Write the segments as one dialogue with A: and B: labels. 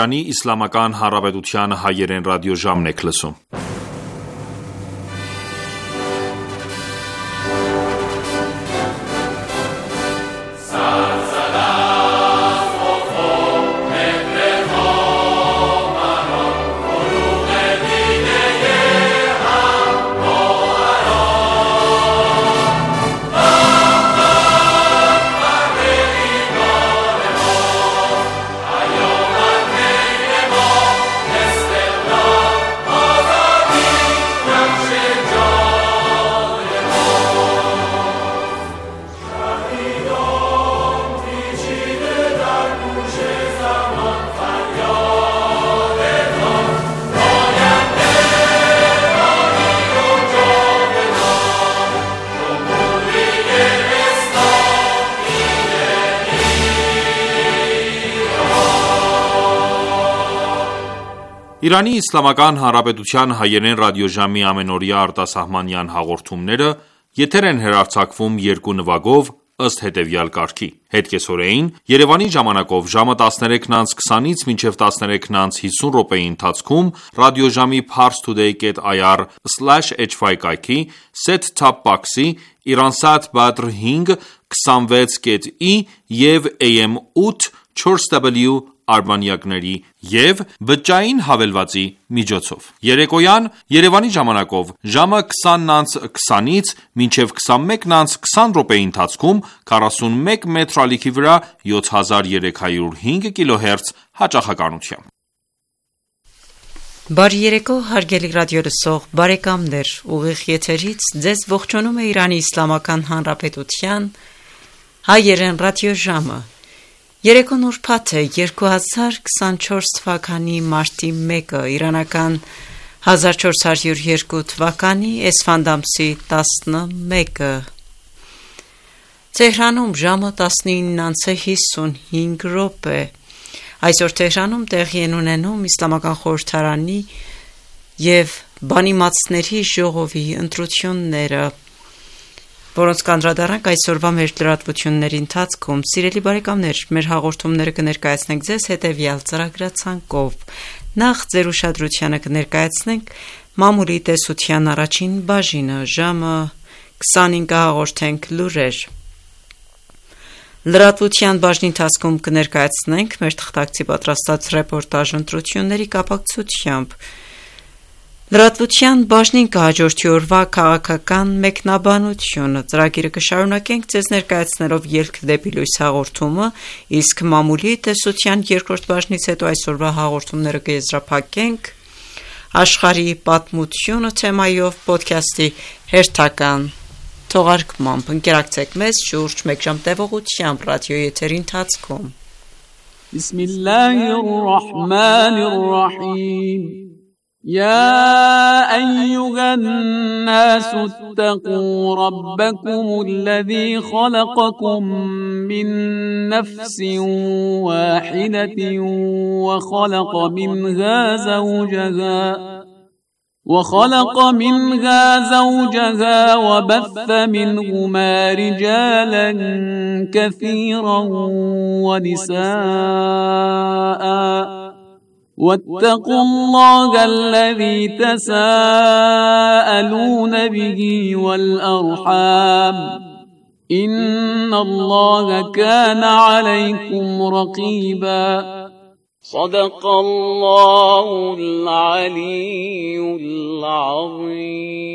A: Իրանի Իսլամական Հանրապետության հայերեն ռադիոժամն եք լսում։ Իրանի Իսլամական Հանրապետության հայերեն ռադիոժամի ամենօրյա արտասահմանյան հաղորդումները եթեր են հեռարձակվում երկու նվագով ըստ հետևյալ կարգի. Հետկեսօրեին Երևանի ժամանակով ժամը 13:20-ից մինչև 13:50 րոպեի ընթացքում ռադիոժամի parstoday.ir/hy կայքի set-top box-ի Iransat Badr 5 26.i և AM 8 4W արբանյակների և բջջային հավելվածի միջոցով։ Երեկոյան Երևանի ժամանակով ժամը 20:20-ից մինչև 21:20 րոպեի ընթացքում 41 մետր ալիքի վրա 7305 կիլոհերց հաճախականությամբ։
B: Բարի երեկո, հարգելի ռադիոլսող բարեկամներ, ուղիղ եթերից ձեզ ողջունում է Իրանի Իսլամական Հանրապետության հայերեն ռադիոժամը։ Երեկոն ուրբաթ է 2024 թվականի մարտի 1-ը, իրանական 1402 թվականի էսֆանդ ամսի 11-ը։ Թեհրանում ժամը 19:55 րոպե։ Այսօր Թեհրանում տեղի են ունենում Իսլամական խորհրդարանի և բանիմացների ժողովի ընտրությունները, որոնց կանդրադառնանք այսօրվա մեր լրատվությունների ընթացքում։ Սիրելի բարեկամներ, մեր հաղորդումները կներկայացնենք ձեզ հետևյալ ծրագրացանկով։ Նախ ձեր ուշադրությանը կներկայացնենք մամուլի տեսության առաջին բաժինը, ժամը 25-ը հաղորդենք լուրեր։ Լրատվության բաժնի ընթացքում կներկայացնենք մեր թղթակցի պատրաստած ռեպորտաժ ընտրությունների կապակցությամբ։ Լրատվության բաժնին կհաջորդի օրվա քաղաքական մեկնաբանությունը, ծրագիրը կշարունակենք ձեզ ներկայացնելով ելք դեպի լույս հաղորդումը, իսկ մամուլի տեսության երկրորդ բաժնից հետո այսօրվա հաղորդումները կեզրափակենք աշխարհի պատմությունը թեմայով ոդքասթի հերթական թողարկմամբ։ Ընկերակցեք մեզ շուրջ 1 ժամ տևողությամբ ռադիոյի եթերի ընթացքում։
C: Բիսմիլլահիռռահմանիռռահիմ يا أيها الناس اتقوا ربكم الذي خلقكم من نفس واحدة وخلق منها زوجها وبث منهما رجالا كثيرا ونساء واتقوا الله الذي تساءلون به والأرحام إن الله كان عليكم رقيبا صدق الله العلي العظيم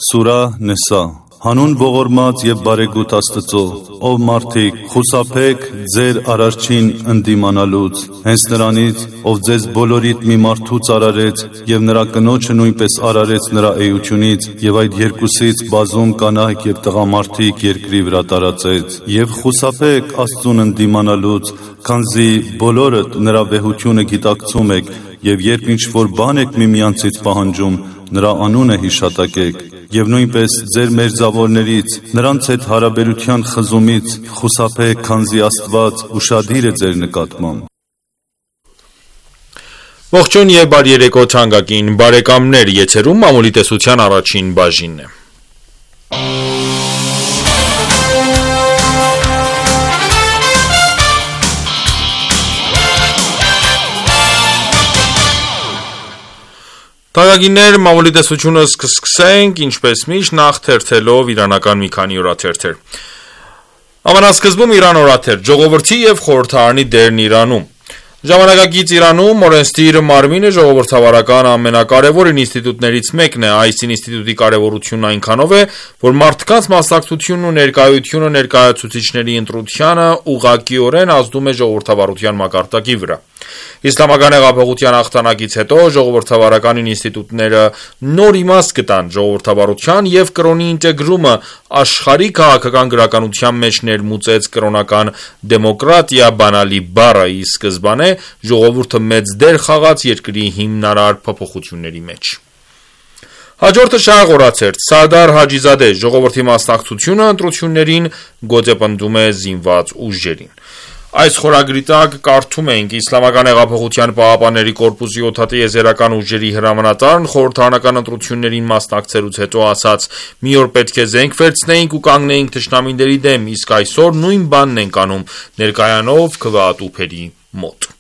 D: Սուրա Նեսա Հանուն ողորմած եւ բարեգութ Աստծո, ով մարդիկ, խուսափեք ձեր արարչին ընդդիմանալուց, հենց նրանից, ով ձեզ բոլորիդ մի մարդուց արարեց եւ նրա կնոջը նույնպես արարեց նրա էությունից եւ այդ երկուսից բազում կանայք եւ տղամարդիկ երկրի վրա տարածեց եւ խուսափեք Աստծուն ընդդիմանալուց, քանզի բոլորդ նրա վեհությունը գիտակցում եք եւ երբ ինչ որ բան եք միմյանցից պահանջում, նրա անունը հիշատակեք եւ նույնպես ձեր մերձավորներից նրանց հետ հարաբերության խզումից խուսափեք, քանզի Աստված ուշադիր է ձեր նկատմամբ։
A: Ողջույն եւ բարի երեկո թանկագին բարեկամներ, եթերում մամուլի տեսության առաջին բաժինն է։ Թանկագիններ, մամուլի տեսությունը սկսենք, ինչպես միշտ, նախ թերթելով իրանական մի քանի օրաթերթեր։ Ամենասկզբում Իրան օրաթերթ, ժողովրդի և խորհրդարանի դերն Իրանում։ Ժամանակակից Իրանում օրենսդիր մարմինը ժողովրդավարական ամենակարևոր ինստիտուտներից մեկն է, այս ինստիտուտի կարևորությունն այնքանով է, որ մարդկանց մասնակցությունն ու ներկայությունը ներկայացուցիչների ընտրությանը ուղղակիորեն ազդում է ժողովրդավարության մակարդակի վրա։ Իսլամական հեղափոխության հաղթանակից հետո ժողովրդավարական ինստիտուտները նոր իմաստ գտան, ժողովրդավարության և կրոնի ինտեգրումը աշխարհի քաղաքական գրականության մեջ ներմուծեց կրոնական դեմոկրատիա բանալի բառը, ի սկզբանե ժողովուրդը մեծ դեր խաղաց երկրի հիմնարար փոփոխությունների մեջ։ Հաջորդը շարժ օրացերտ, Սարդար Հաջիզադե, ժողովրդի մասնակցությունը ընտրություններին գոտեպնդում է զինված ուժերին։ Այս խորագրի տակ կարդում ենք Իսլամական հեղափոխության պահապանների կորպուսի օդատիեզերական ուժերի հրամանատարն խորհրդարանական ընտրություններին մասնակցելուց հետո ասաց. «Մի օր պետք է զենք վերցնեինք ու կանգնեինք թշնամիների դեմ, իսկ այսօր նույն բանն ենք անում, ներկայանով քվեատուփերի մոտ»։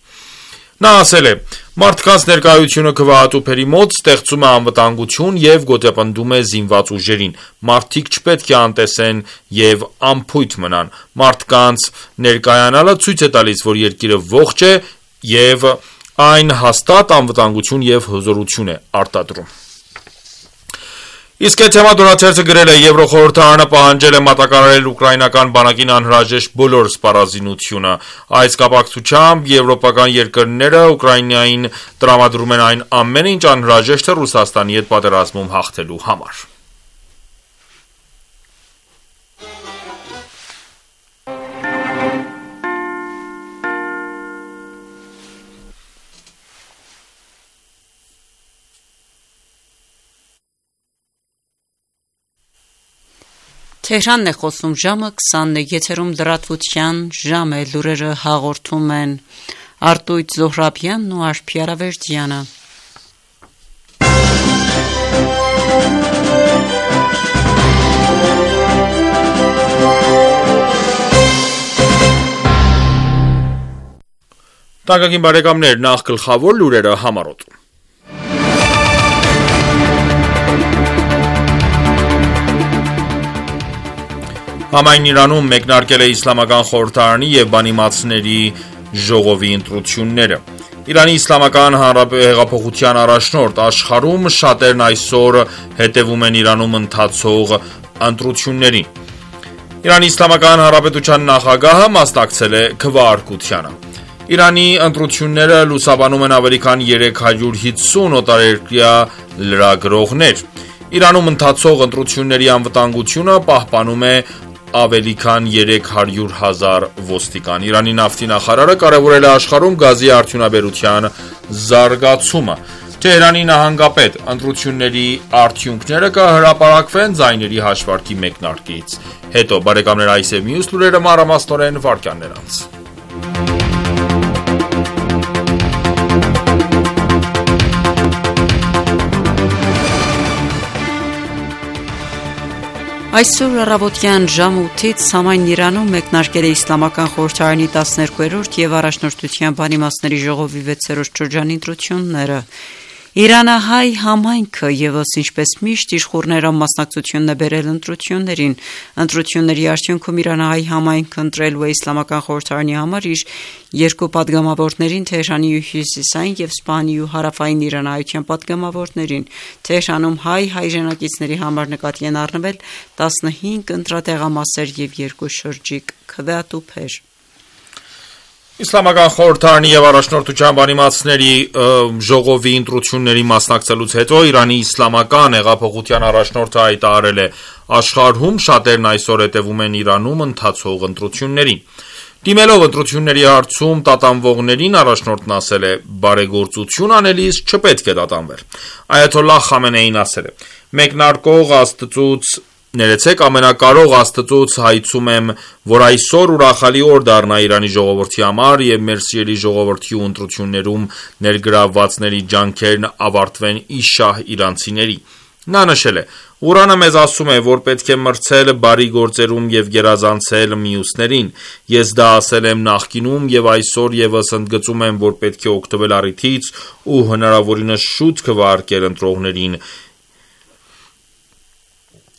A: Նա ասել է. «Մարդկանց ներկայությունը քվեատուփերի մոտ ստեղծում է անվտանգություն և գոտեպնդում է զինված ուժերին։ Մարդիկ չպետք է անտեսեն և անփույթ մնան։ Մարդկանց ներկայանալը ցույց է տալիս, որ երկիրը ողջ է և այն հաստատ անվտանգություն և հզորություն է արտադրում»։ Իսկ այդ թեմատ օրաթերթը գրել է. «Եվրոխորհրդարանը պահանջել է մատակարարել ուկրաինական բանակին անհրաժեշտ բոլոր սպառազինությունը։ Այս կապակցությամբ եվրոպական երկրները Ուկրաինային տրամադրում են այն ամենը, ինչ անհրաժեշտ է Ռուսաստանի հետ պատերազմում հաղթելու համար»։
B: Թեհրանն է խոսում, ժամը 20-ն է, եթերում լրատվության ժամ է, լուրերը հաղորդում են Արտույտ Զոհրաբյանն ու Արփի Արավերդյանը։
A: Թանկագին բարեկամներ, նախ գլխավոր լուրերը համառոտ։ Համայն Իրանում մեկնարկել է Իսլամական խորհրդարանի և բանիմացների ժողովի ընտրությունները։ Իրանի Իսլամական հեղափոխության առաջնորդ, աշխարհում շատերն այսօր հետևում են Իրանում ընթացող ընտրություններին։ Իրանի Իսլամական Հանրապետության նախագահը մասնակցել է քվեարկությանը։ Իրանի ընտրությունները լուսաբանում են ավելի քան 350 օտարերկրյա լրագրողներ։ Իրանում ընթացող ընտրությունների անվտանգությունը պահպանում է ավելի քան 300,000 ոստիկան։ Իրանի նավթի նախարարը կարևորել է աշխարհում գազի արդյունաբերության զարգացումը։ Թեհրանի նահանգապետ. ընտրությունների արդյունքները կհրապարակվեն ձայների հաշվարկի մեկնարկից հետո։ Բարեկամներ, այս եւ մյուս լուրերը մանրամասնորեն վարքյաններ անց։
B: Այսօր առավոտյան ժամը 8-ից համայն Իրանում մեկնարկել է Իսլամական խորհրդարանի 12-րդ և առաջնորդության բանիմացների ժողովի 6-րդ շրջանի ընտրությունները։ Իրանահայ համայնքը ևս ինչպես միշտ իր խոռներով մասնակցությունն է բերել ընտրություններին։ Ընտրությունների արդյունքում իրանահայ համայնքը ընտրելու է Իսլամական խորհրդարանի համար իր երկու падգամավորներին՝ Թեհրանի հյուսիսային և Սպահանի ու հարավային իրանահայության падգամավորներին։ Թեհրանում հայ հայրենակիցների համար նկատի են առնվել 15 ընտրատեղամասեր և 2 շրջիկ քվեատուփեր։
A: Իսլամական խորհրդարանի և առաջնորդության բանիմացների ժողովի ընտրությունների մասնակցելուց հետո Իրանի Իսլամական հեղափոխության առաջնորդը հայտարարել է. աշխարհում շատերն այսօր հետևում են Իրանում ընթացող ընտրություններին։ Դիմելով ընտրությունների հարցում տատանվողներին, առաջնորդն ասել է. բարեգործություն անելիս չպետք է տատանվել։ Այաթոլլահ Խամենեին ասել է. մեկնարկող ամենակարող Աստծուց հայցում եմ, որ այսօր ուրախալի օր դառնա Իրանի ժողովրդի համար և մեր սիրելի ժողովրդի ու ընտրություններում ներգրավվածների ջանքերն ավարտվեն ի շահ իրանցիների։ Նա նշել է. Ղուրանը մեզ ասում է, որ պետք է մրցել բարի գործերում և գերազանցել մյուսներին: Ես դա ասել եմ նախկինում և այսօր ևս ընդգծում եմ, որ պետք է օգտվել առիթից ու հնարավորինս շուտ քվեարկել ընտրողներին: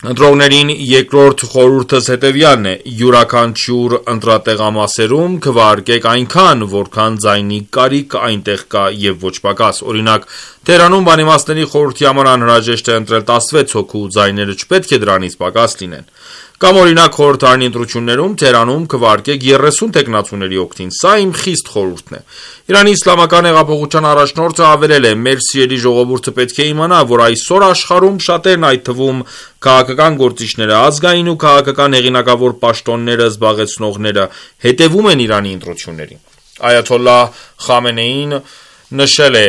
A: Երկրորդ խորհուրդս հետևյալն է. յուրաքանչյուր ընտրատեղամասերում քվեարկեք այնքան, որքան ձայնի կարիք այնտեղ կա և ոչ պակաս: Օրինակ, Թեհրանում բանիմացների խորհրդի համար անհրաժեշտ է ընտրել 16 հոգու, ձայները չպետք է դրանից պակաս լինեն: Կամ օրինակ խորհրդարանի ընտրություններում Թեհրանում քվեարկեք 30 թեկնածուների օգտին: Սա իմ խիստ խորհուրդն է: Իրանի իսլամական հեղափոխության առաջնորդը հավելել է. «Մեր սիրելի ժողովուրդը պետք է իմանա, որ այսօր աշխարհում շատերն, այդ թվում քաղաքական գործիչները, ազգային ու քաղաքական հեղինակավոր պաշտոնները զբաղեցնողները հետևում են Իրանի ընտրություններին»: Այաթոլլահ Խամենեին նշել է.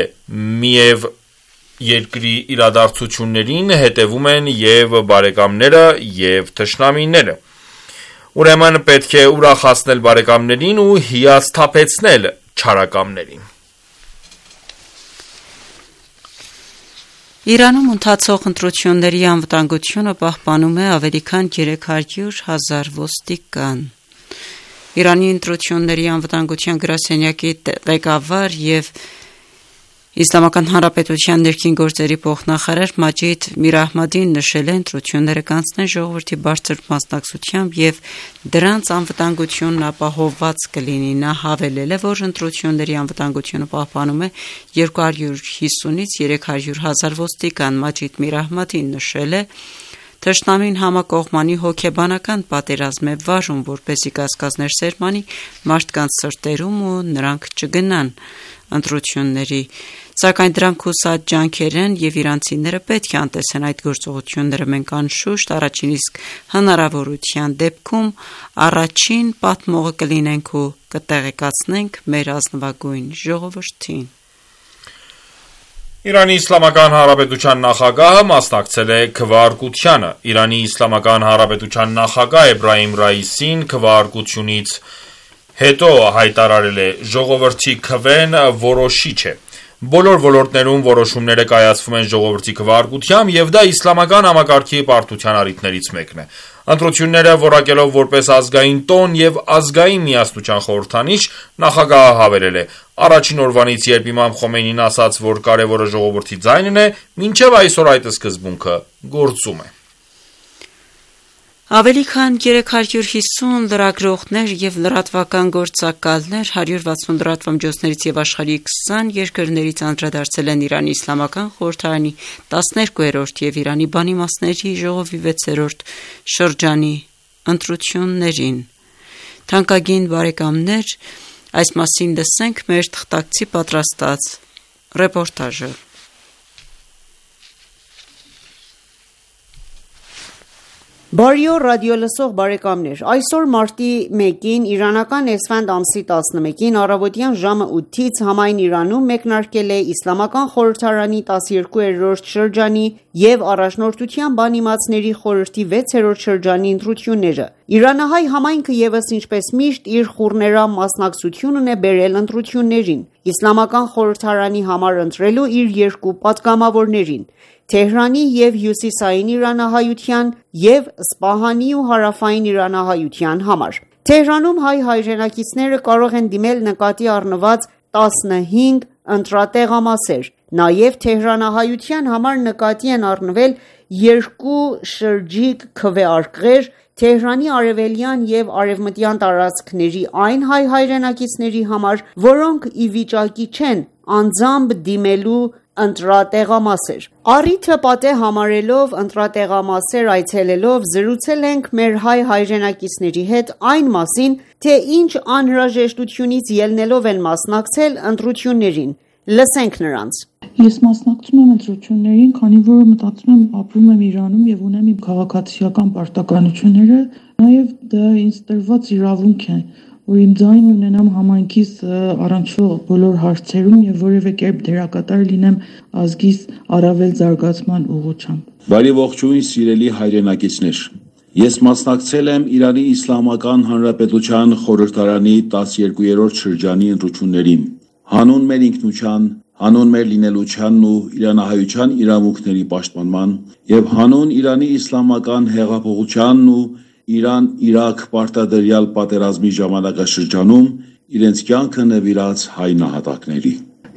A: «Միև երկրի իրադարձություններին հետևում են և բարեկամները, և թշնամիները: Ուրեմն պետք է ուրախացնել բարեկամներին ու հիասթափեցնել չարակամներին»:
B: Իրանում ընթացող ընտրությունների անվտանգությունը պահպանում է ավելի քան 300,000 ոստիկան: Իրանի ընտրությունների անվտանգության գրասենյակի ղեկավար և Իսլամական Հանրապետության ներքին գործերի փոխնախարար Մաջիդ Միրահմադին նշել է. ընտրությունները կանցնեն ժողովրդի բարձր մասնակցությամբ և դրանց անվտանգությունն ապահովված կլինի: Նա հավելել է, որ ընտրությունների անվտանգությունը պահպանում է 250-ից 300,000 ոստիկան: Մաջիդ Միրահմադին նշել է. «Թշնամին համակողմանի հոգեբանական պատերազմ է վարում, որպեսզի կասկածներ սերմանի մարդկանց սրտերում ու նրանք չգնան ընտրությունների: Սակայն դրանք հուսած ջանքեր են և իրանցիները պետք է անտեսեն այդ գործողությունները: Մենք անշուշտ առաջին իսկ հնարավորության դեպքում առաջին պատմողը կլինենք ու կտեղեկացնենք մեր ազնվագույն ժողովրդին»:
A: Իրանի Իսլամական Հանրապետության նախագահը մասնակցել է քվեարկությանը: Իրանի Իսլամական Հանրապետության նախագահ Էբրահիմ Ռայիսին քվեարկությունից հետո հայտարարել է. «Ժողովրդի քվեն որոշիչ է: Բոլոր ոլորտներում որոշումները կայացվում են ժողովրդի քվեարկությամբ և դա իսլամական համակարգի պարտության առիթներից մեկն է»: Ընտրությունները որակելով որպես ազգային տոն և ազգային միասնության խորհրդանիշ, նախագահը հավելել է. «Առաջին օրվանից, երբ իմամ Խոմեյնին ասաց, որ կարևորը ժողովրդի ձայնն է, մինչև այսօր այդ սկզբունքը գործում է»:
B: Ավելի քան 350 լրագրողներ և լրատվական գործակալներ 160 լրատվամիջոցներից և աշխարհի 20 երկրներից անդրադարձել են Իրանի Իսլամական խորհրդարանի 12-րդ և Իրանի բանիմացների ժողովի 6-րդ շրջանի ընտրություններին: Թանկագին բարեկամներ, այս մասին լսենք մեր թղթակցի պատրաստած ռեպորտաժը:
E: Բարի օր ռադիոլսող բարեկամներ: Այսօր մարտի 1-ին իրանական էսֆանդ ամսի 11-ին առավոտյան ժամը 8-ից համայն Իրանում մեկնարկել է Իսլամական խորհրդարանի 12-րդ շրջանի և Առաջնորդության բանիմացների խորհրդի 6-րդ շրջանի ընտրությունները: Իրանահայ համայնքը ևս ինչպես միշտ իր խուռներամ մասնակցությունն է բերել ընտրություններին: Իսլամական խորհրդարանի համար ընտրելու իր երկու պատգամավորներին՝ Թեհրանի և հյուսիսային իրանահայության և Սպահանի ու հարավային իրանահայության համար: Թեհրանում հայ հայրենակիցները կարող են դիմել նկատի առնված 15 ընտրատեղամասեր: Նաև թեհրանահայության համար նկատի են առնվել երկու շրջիկ քվեարկղեր Թեհրանի արևելյան և արևմտյան տարածքների այն հայ հայրենակիցների համար, որոնք ի վիճակի չեն անձամբ դիմելու ընտրատեղամասեր: Առիթը պատեհ համարելով ընտրատեղամասեր այցելելով զրուցել ենք մեր հայ հայրենակիցների հետ այն մասին, թե ինչ անհրաժեշտությունից ելնելով են մասնակցել ընտրություններին: Լսենք նրանց:
F: Ես մասնակցում եմ ընտրություններին, քանի որ մտածում եմ ապրում եմ Իրանում և ունեմ իմ քաղաքացիական պարտականությունները: Նաև դա ինձ տրված իրավունք է, որ իմ ձայնն ունենամ համայնքիս առնչվող բոլոր հարցերում և որևէ կերպ դերակատար լինեմ ազգիս առավել զարգացման ուղղությամբ:
G: Բարի ողջույն սիրելի հայրենակիցներ: Ես մասնակցել եմ Իրանի Իսլամական Հանրապետության խորհրդարանի 12-րդ շրջանի ընտրություններին: Հանուն մեր ինքնության, հանուն մեր լինելությանն ու իրանահայության իրավունքների պաշտպանման եւ հանուն Իրանի իսլամական հեղափոխությանն ու Իրան-Իրաք պարտադրյալ պատերազմի ժամանակաշրջանում իրենց կյանքը նվիրած հայ նահատակների։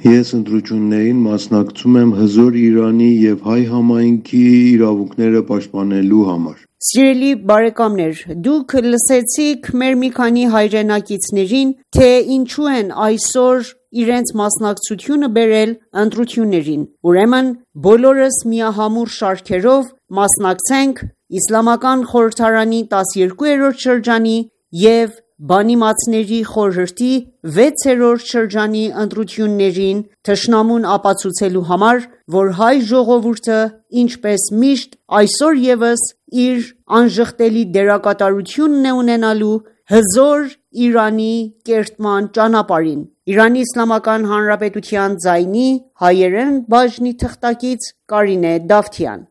H: Ես ընտրություններին մասնակցում եմ հզոր Իրանի եւ հայ համայնքի իրավունքները պաշտպանելու համար։
E: Սիրելի բարեկամներ, դուք լսեցիք մեր մի քանի հայրենակիցներին, թե ինչու են այսօր իրենց մասնակցությունը բերել ընտրություններին։ Ուրեմն բոլորս միահամուռ շարքերով մասնակցենք Իսլամական խորհրդարանի 12-րդ շրջանի և Բանիմացների խորհրդի 6-րդ շրջանի ընտրություններին թշնամուն ապացուցելու համար, որ հայ ժողովուրդը ինչպես միշտ այսօր ևս իր անժխտելի դերակատարությունն է ունենալու հզոր Իրանի կերտման ճանապարհին։ Իրանի Իսլամական Հանրապետության ձայնի հայերեն բաժնի թղթակից Կարինե Դավթյան։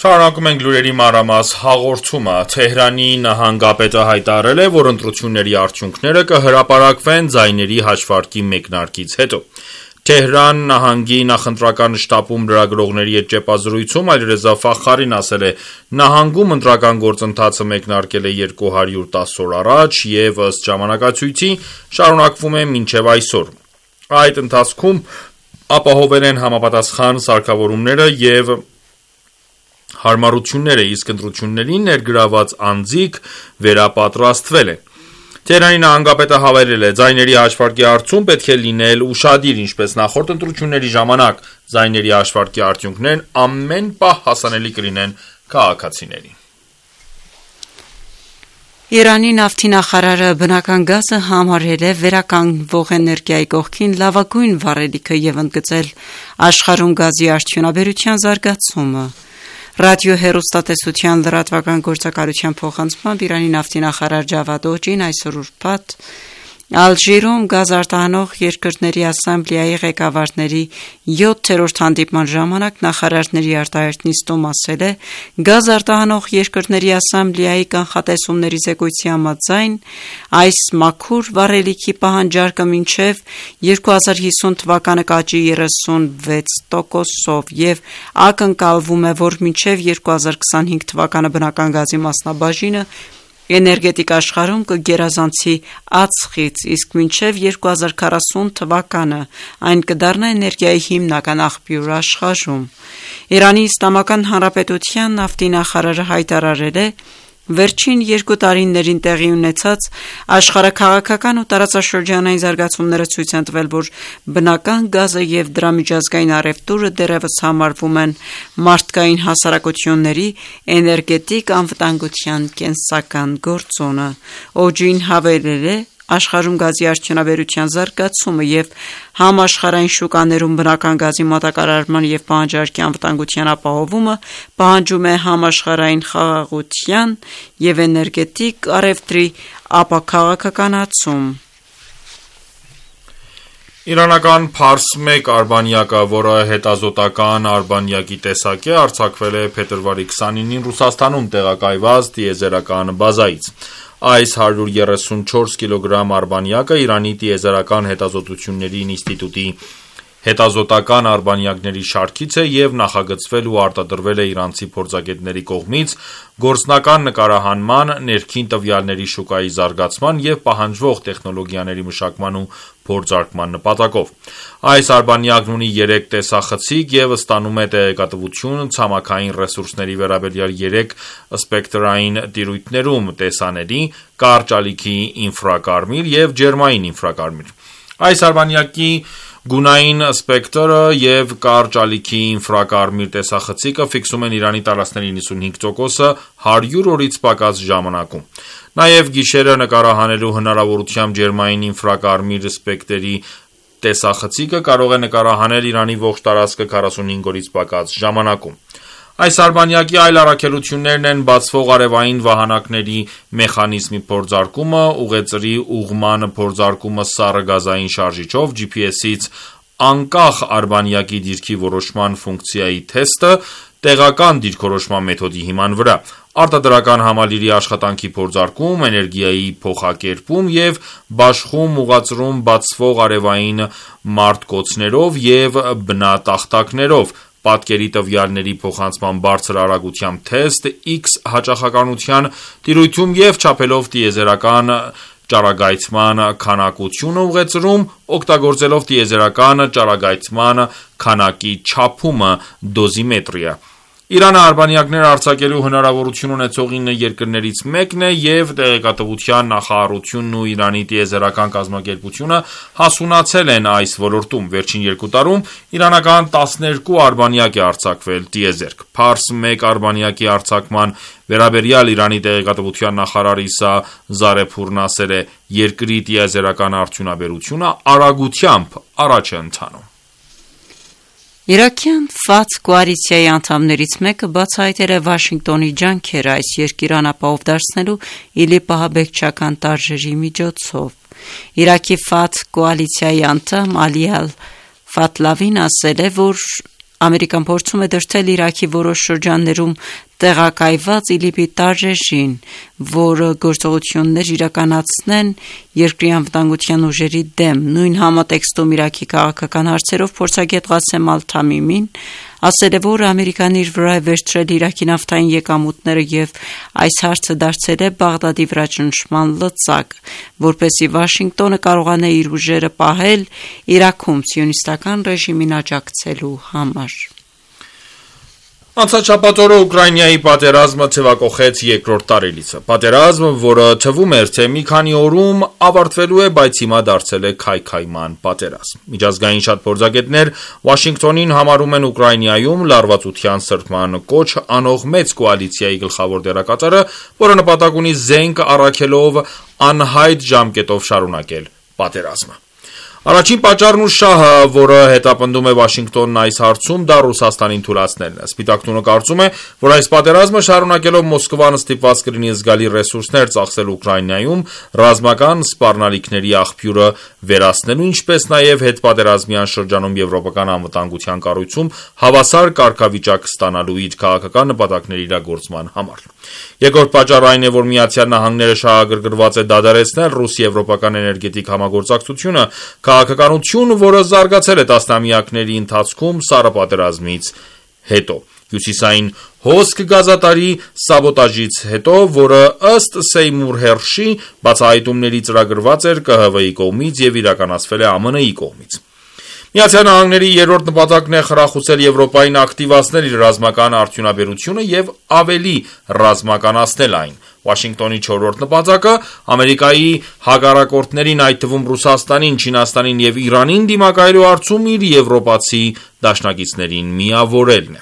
A: Շարունակում ենք լուրերի մանրամաս հաղորդումը։ Թեհրանի նահանգապետը հայտարարել է, որ ընտրությունների արդյունքները կհրապարակվեն ձայների հաշվարկի մեկնարկից հետո։ Թեհրան նահանգի նախընտրական շտաբում լրագրողների հետ ճեպազրույցում Ալիրեզա Ֆախարին ասել է. նահանգում ընտրական գործընթացը մեկնարկել է 210 օր առաջ եւ ըստ ժամանակացույցի շարունակվում է մինչեւ այսօր։ Այդ ընթացքում ապահովել են համապատասխան սարքավորումները եւ հարմարությունները, իսկ ընտրություններին ներգրաված անձիկ վերապատրաստվել են։ Թեհրանի նահանգապետը հավելել է. ձայների հաշվարկի հարցում պետք է լինել ուշադիր, ինչպես նախորդ ընտրությունների ժամանակ ձայների հաշվարկի արդյունքներն ամեն պահ հասանելի կլինեն քաղաքացիներին։
B: Իրանի նավթի նախարարը բնական գազը համարել է վերականգնվող էներգիայի կողքին լավագույն վառելիքը եւ ընդգծել աշխարհում գազի արդյունաբերության զարգացումը։ Ռադիոհեռուստատեսության լրատվական գործակալության փոխանցմամբ Իրանի նավթի նախարար Ջավադ Օջին այսօր ուրբաթ Ալժիրում գազ արտահանող երկրների ասամբլեայի ղեկավարների 7-րդ հանդիպման ժամանակ նախարարների արտահերթ նիստում ասել է. գազ արտահանող երկրների ասամբլեայի կանխատեսումների զեկույցի համաձայն այս մաքուր վառելիքի պահանջարկը մինչև 2050 թվականը կաճի 36%-ով եւ ակնկալվում է, որ մինչև 2025 թվականը բնական գազի մասնաբաժինը էներգետիկ աշխարհում կգերազանցի ածխից, իսկ մինչև 2040 թվականը այն կդառնա էներգիայի հիմնական աղբյուր աշխարհում։ Իրանի Իսլամական Հանրապետության նավթի նախարարը հայտարարել է, վերջին 2 տարիներին տեղի ունեցած աշխարհաքաղաքական ու տարածաշրջանային զարգացումները ցույց են տվել, որ բնական գազը եւ դրա միջազգային առևտուրը դեռևս համարվում են մարդկային հասարակությունների էներգետիկ անվտանգության կենսական գործոնը։ Օջին հավելել է. աշխարհում գազի արդյունաբերության զարգացումը եւ համաշխարհային շուկաներում բնական գազի մատակարարման եւ պահանջարկի անվտանգության ապահովումը պահանջում է համաշխարհային խաղաղության եւ էներգետիկ առևտրի ապաքաղաքականացում։
A: Իրանական Փարս 1 արբանյակը, որը հետազոտական արբանյակի տեսակ է, արձակվել է փետրվարի 29-ին Ռուսաստանում տեղակայված տիեզերական բազայից։ Այս 134 կիլոգրամ արբանյակը Իրանի տիեզերական հետազոտությունների ինստիտուտի հետազոտական արբանյակների շարքից է եւ նախագծվել ու արտադրվել է իրանցի փորձագետների կողմից գործնական նկարահանման, ներքին տվյալների շուկայի զարգացման եւ պահանջվող տեխնոլոգիաների մշակման ու փորձարկման նպատակով։ Այս արբանյակն ունի 3 տեսախցիկ եւ ստանում է տեղեկատվություն ցամաքային ռեսուրսների վերաբերյալ 3 սպեկտրային տիրույթներում՝ տեսանելի, կարճ ալիքի ինֆրակարմիր եւ ջերմային ինֆրակարմիր։ Այս արբանյակի գունային սպեկտրը եւ կարճ ալիքի ինֆրակարմիր տեսախցիկը ֆիքսում են Իրանի տարածքների 95%-ը 100 օրից պակաս ժամանակում։ Նաեւ գիշերը նկարահանելու հնարավորությամբ ջերմային ինֆրակարմիր սպեկտրի տեսախցիկը կարող է նկարահանել Իրանի ողջ տարածքը 45 օրից պակաս ժամանակում։ Այս արբանյակի այլ առաքելություններն են բացվող արևային վահանակների մեխանիզմի փորձարկումը, ուղեծրի ուղղման փորձարկումը սառը գազային շարժիչով, GPS-ից անկախ արբանյակի դիրքի որոշման ֆունկցիայի թեստը, տեղական դիրքորոշման մեթոդի հիման վրա, արտադրական համալիրի աշխատանքի փորձարկում, էներգիայի փոխակերպում և բաշխում ուղղածրում բացվող արևային մարտկոցներով և բնատախտակներով, պատկերի տվյալների փոխանցման բարձր արագությամբ թեստ, X հաճախականության տիրույթում և չափելով տիեզերական ճառագայթման քանակությունը ուղեծրում, օգտագործելով տիեզերական ճառագայթման քանակի չափումը դոզիմետրիա: Իրանը արբանյակներ արձակելու հնարավորություն ունեցող 9 երկրներից մեկն է և տեղեկատվության նախարարությունն ու Իրանի տիեզերական կազմակերպությունը հասունացել են այս ոլորտում: Վերջին 2 տարում իրանական 12 արբանյակ է արձակվել տիեզերք: Փարս 1 արբանյակի արձակման վերաբերյալ Իրանի տեղեկատվության նախարար Իսա Զարեփուրն ասել է. «Երկրի տիեզերական արդյունաբերությունը արագությամբ առաջ է ընթանում»:
B: Իրաքյան ՖԱԹ կոալիցիայի անդամներից մեկը բացահայտել է Վաշինգտոնի ջանքերը այս երկիրը անապահով դարձնելու ԻԼԻՊ ահաբեկչական տարրերի միջոցով: Իրաքի ՖԱԹ կոալիցիայի անդամ Ալի Ալ-Ֆաթլավին ասել է, որ Ամերիկան փորձում է դրդել Իրաքի որոշ շրջաններում տեղակայված ԻԼԻՊ-ի տարրերին, որ գործողություններ իրականացնեն երկրի անվտանգության ուժերի դեմ: Նույն համատեքստում Իրաքի քաղաքական հարցերով փորձագետ Ղասեմ Ալ-Թամիմին ասել է, որ Ամերիկան իր վրա է վերցրել Իրաքի նավթային եկամուտները և այս հարցը դարձել է Բաղդադի վրա ճնշման լծակ, որպեսզի Վաշինգտոնը կարողանա իր ուժերը պահել Իրաքում սիոնիստական ռեժիմին աջակցելու համար:
A: Անցած շաբաթ օրը Ուկրաինայի պատերազմը թեւակոխեց երկրորդ տարելիցը: Պատերազմ, որը թվում էր, թե մի քանի օրում ավարտվելու է, բայց հիմա դարձել է քայքայման պատերազմ: Միջազգային շատ փորձագետներ Վաշինգտոնին համարում են Ուկրաինայում լարվածության սրբման կոչ անող մեծ կոալիցիայի գլխավոր դերակատարը, որը նպատակ ունի զենք առաքելով անհայտ ժամկետով շարունակել պատերազմը: Առաջին պատճառն ու շահը, որը հետապնդում է Վաշինգտոնն այս հարցում, դա Ռուսաստանին թուլացնելն է: Սպիտակ տունը կարծում է, որ այս պատերազմը շարունակելով Մոսկվան ստիպված կլինի զգալի ռեսուրսներ ծախսել Ուկրաինայում ռազմական սպառնալիքների աղբյուրը վերացնելու, ինչպես նաև հետպատերազմյան շրջանում եվրոպական անվտանգության կառույցում հավասար կարգավիճակ ստանալու իր քաղաքական նպատակների իրագործման համար: Երկրորդ պատճառը այն է, որ ԱՄՆ-ը շահագրգռված է դադարեցնել ռուս-եվրոպական էներգետիկ համագործակցությունը, քաղաքականություն, որը զարգացել է տասնամյակների ընթացքում սառը պատերազմից հետո: Հյուսիսային հոսք գազատարի սաբոտաժից հետո, որը ըստ Սեյմուր Հերշի բացահայտումների ծրագրված էր ԿՀՎ-ի կողմից և իրականացվել է ԱՄՆ-ի կողմից: ԱՄՆ-ի երրորդ նպատակն է խրախուսել Եվրոպային ակտիվացնել իր ռազմական արդյունաբերությունը և ավելի ռազմականացնել այն: Վաշինգտոնի չորրորդ նպատակը Ամերիկայի հակառակորդներին, այդ թվում Ռուսաստանին, Չինաստանին և Իրանին դիմակայելու հարցում իր եվրոպացի դաշնակիցներին միավորելն է: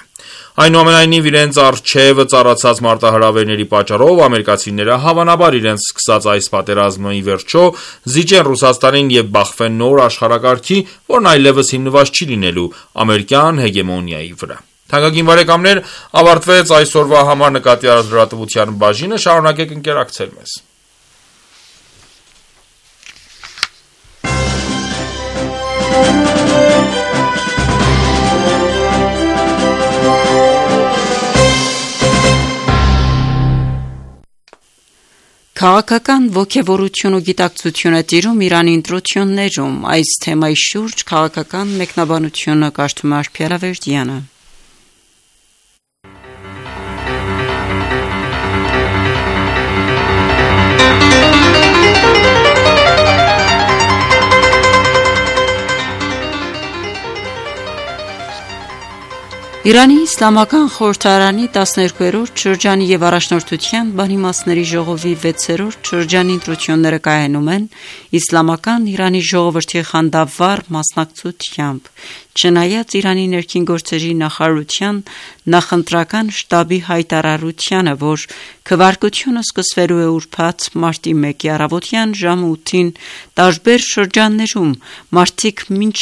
A: Այնուամենայնիվ, իրենց առջև ծառացած մարտահրավերների պատճառով ամերիկացիները հավանաբար իրենց սկսած այս պատերազմը ի վերջո զիջեն Ռուսաստանին և բախվեն նոր աշխարհակարգի, որն այլևս հիմնված չի լինելու ամերիկյան հեգեմոնիայի վրա: Թանկագին բարեկամներ, ավարտվեց այսօրվա համար նկատի առած լրատվության բաժինը: Շարունակեք ընկերակցել մեզ:
B: Քաղաքական ոգևորություն ու գիտակցություն է տիրում Իրանի ընտրություններում: Այս թեմայի շուրջ քաղաքական մեկնաբանությունը կարդում է Արփի Ալավերդյանը: Իրանի իսլամական խորհրդարանի 12-րդ շրջանի և առաջնորդության բանիմացների ժողովի 6-րդ շրջանի ընտրությունները կայանում են իսլամական Իրանի ժողովրդի խանդավառ մասնակցությամբ: Չնայած Իրանի ներքին գործերի նախարարության նախընտրական շտաբի հայտարարությանը, որ քվեարկությունը սկսվելու է ուրբաթ մարտի 1-ի առավոտյան ժամը 8-ին տարբեր շրջաններում մարդիկ մինչ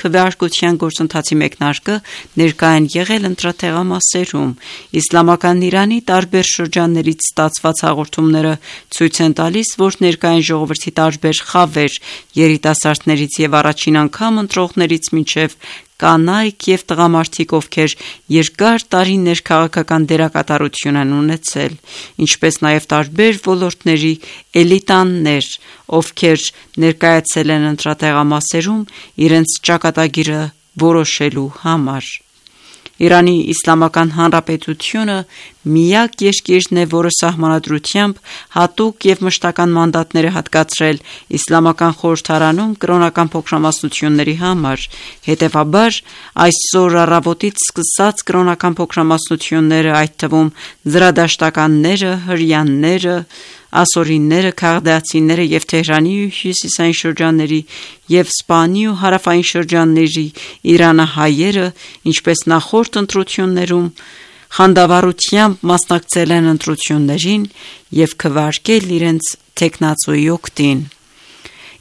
B: քվեարկության գործընթացի մեկնարկը ներկա են եղել ընտրատեղամասերում: Իսլամական Իրանի տարբեր շրջաններից ստացված հաղորդումները ցույց են տալիս, որ ներկա են ժողովրդի տարբեր խավեր՝ երիտասարդներից և առաջին անգամ ընտրողներից մինչև կանայք եւ տղամարդիկ, ովքեր երկար տարիներ քաղաքական դերակատարություն են ունեցել, ինչպես նաեւ տարբեր ոլորտների էլիտաներ, ովքեր ներկայացել են ընտրատեղամասերում իրենց ճակատագիրը որոշելու համար։ Իրանի Իսլամական Հանրապետությունը միակ երկիրն է, որը սահմանադրությամբ հատուկ եւ մշտական մանդատներ է հատկացրել Իսլամական խորհրդարանում կրոնական փոքրամասնությունների համար։ Հետևաբար, այսօր առավոտից սկսած կրոնական փոքրամասնությունները, այդ թվում զրադաշտականները, հրեաները, ասորիները, քաղդացիները եւ Թեհրանի ու հյուսիսային շրջանների եւ Սպանի ու հարավային շրջանների իրանահայերը, ինչպես նախորդ ընտրություններում, խանդավառությամբ մասնակցել են ընտրություններին եւ քվարկել իրենց թեկնածուի օգտին։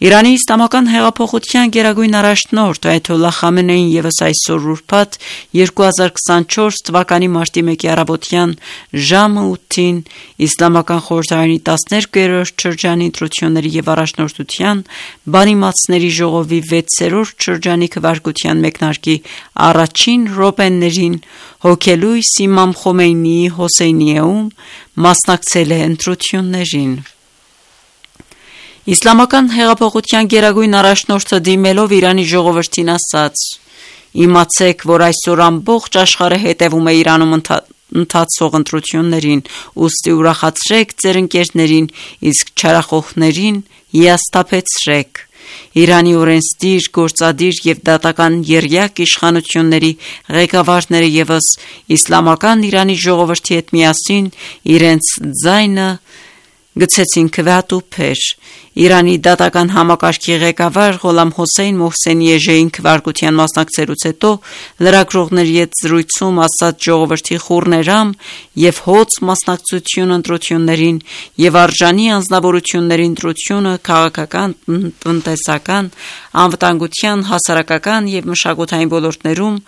B: Իրանի Իսլամական հեղափոխության գերագույն առաջնորդ Այաթոլլահ Խամենեին ևս այսօր ուրբաթ 2024 թվականի մարտի 1-ի առավոտյան ժամը 8-ին Իսլամական խորհրդարանի 12-րդ շրջանի ընտրությունների եւ առաջնորդության բանիմացների ժողովի 6-րդ շրջանի քվարկության մեկնարկի առաջին րոպեներին հոգելույս Իմամ Խոմեյնիի Հոսեյնիեում մասնակցել է ընտրություններին։ Իսլամական հեղափոխության գերագույն առաջնորդը դիմելով Իրանի ժողովրդին ասաց. «Իմացեք, որ այսօր ամբողջ աշխարհը հետևում է Իրանում ընթացող ընտրություններին, ուստի ուրախացրեք ձեր ընկերներին, իսկ չարախոհներին հիասթափեցրեք։ Իրանի օրենսդիր, գործադիր եւ դատական եռյակ իշխանությունների ղեկավարները ևս իսլամական Իրանի ժողովրդի հետ միասին իրենց ձայնը գցեցին քվեատուփեր։ Իրանի դատական համակարգի ղեկավար Ղոլամ Հոսեյն Մոհսենի Էժեին քվարկության մասնակցելուց հետո լրագրողների հետ զրույցում ասաց ժողովրդի խուռներամ եւ հոծ մասնակցություն ընտրություններին եւ արժանի անձնավորությունների ընտրությունը քաղաքական, տնտեսական, անվտանգության, հասարակական եւ մշակութային ոլորտներում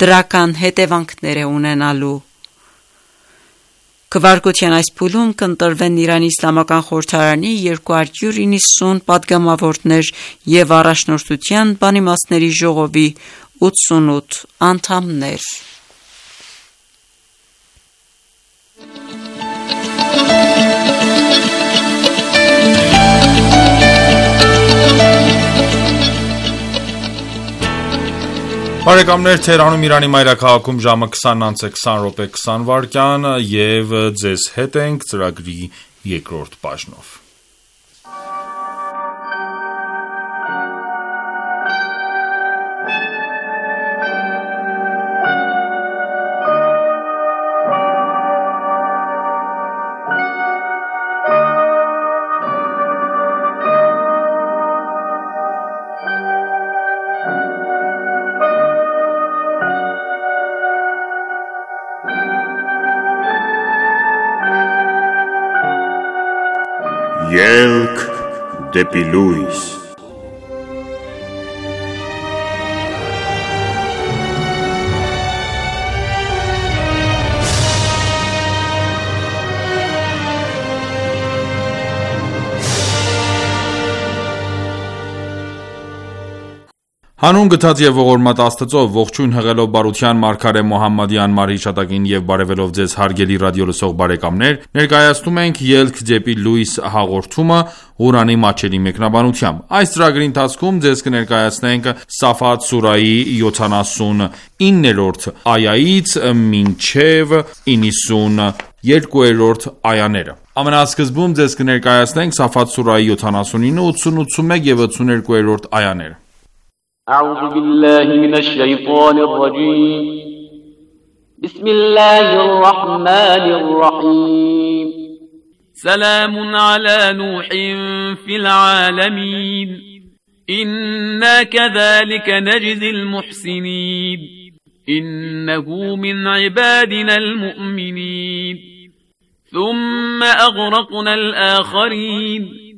B: դրական հետևանքներ է ունենալու։ Քվարկության այս փուլում կընտրվեն Իրանի Իսլամական խորհրդարանի 290 պատգամավորներ եւ առաջնորդության բանիմացների ժողովի 88 անդամներ։
A: Բարեկամներ, Թեհրանում Իրանի մայրաքաղաքում ժամը 20:20 եւ ձեզ հետ ենք ծրագրի երկրորդ բաժնով։
I: Ելք դեպի լույս։
A: Հանուն գթած եւ ողորմած Աստծո, ողջույն հղելով բարության մարգարե Մոհամմադի անմար հիշատակին եւ բարեւելով ձեզ հարգելի ռադիոլսող բարեկամներ, ներկայացնում ենք Ելք դեպի լույս հաղորդումը Ղուրանի մատչելի մեկնաբանությամբ։ Այս ծրագրի ընթացքում ձեզ կներկայացնենք Սաֆաթ սուրայի 79-րդ այայից մինչև 92-րդ այաները։ Ամենասկզբում ձեզ կներկայացնենք Սաֆաթ սուրայի 79, 80, 81 եւ 82-րդ այաները։
C: أعوذ بالله من الشيطان الرجيم بسم الله الرحمن الرحيم سلام على نوح في العالمين إنا كذلك نجزي المحسنين إنه من عبادنا المؤمنين ثم أغرقنا الآخرين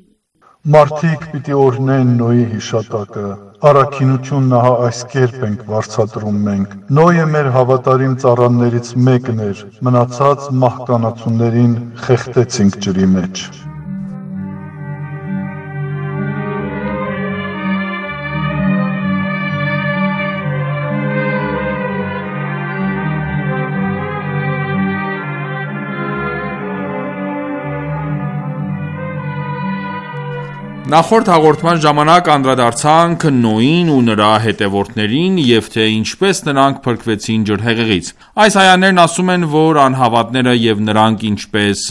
J: Մարդիկ պիտի օրհնեն Նոյի հիշատակը, առաքինություն նահա այս կերպ ենք վարձատրում մենք։ Նոյը մեր հավատարիմ ծառաներից մեկն էր, մնացած մահկանացուներին խեղդեցինք ջրի մեջ։
A: Նախորդ հաղորդման ժամանակ անդրադարձանք Նոյին ու նրա հետևորդներին և թե ինչպես նրանք փրկվեցին ջրհեղեղից։ Այս այաներն ասում են, որ անհավատները և նրանք ինչպես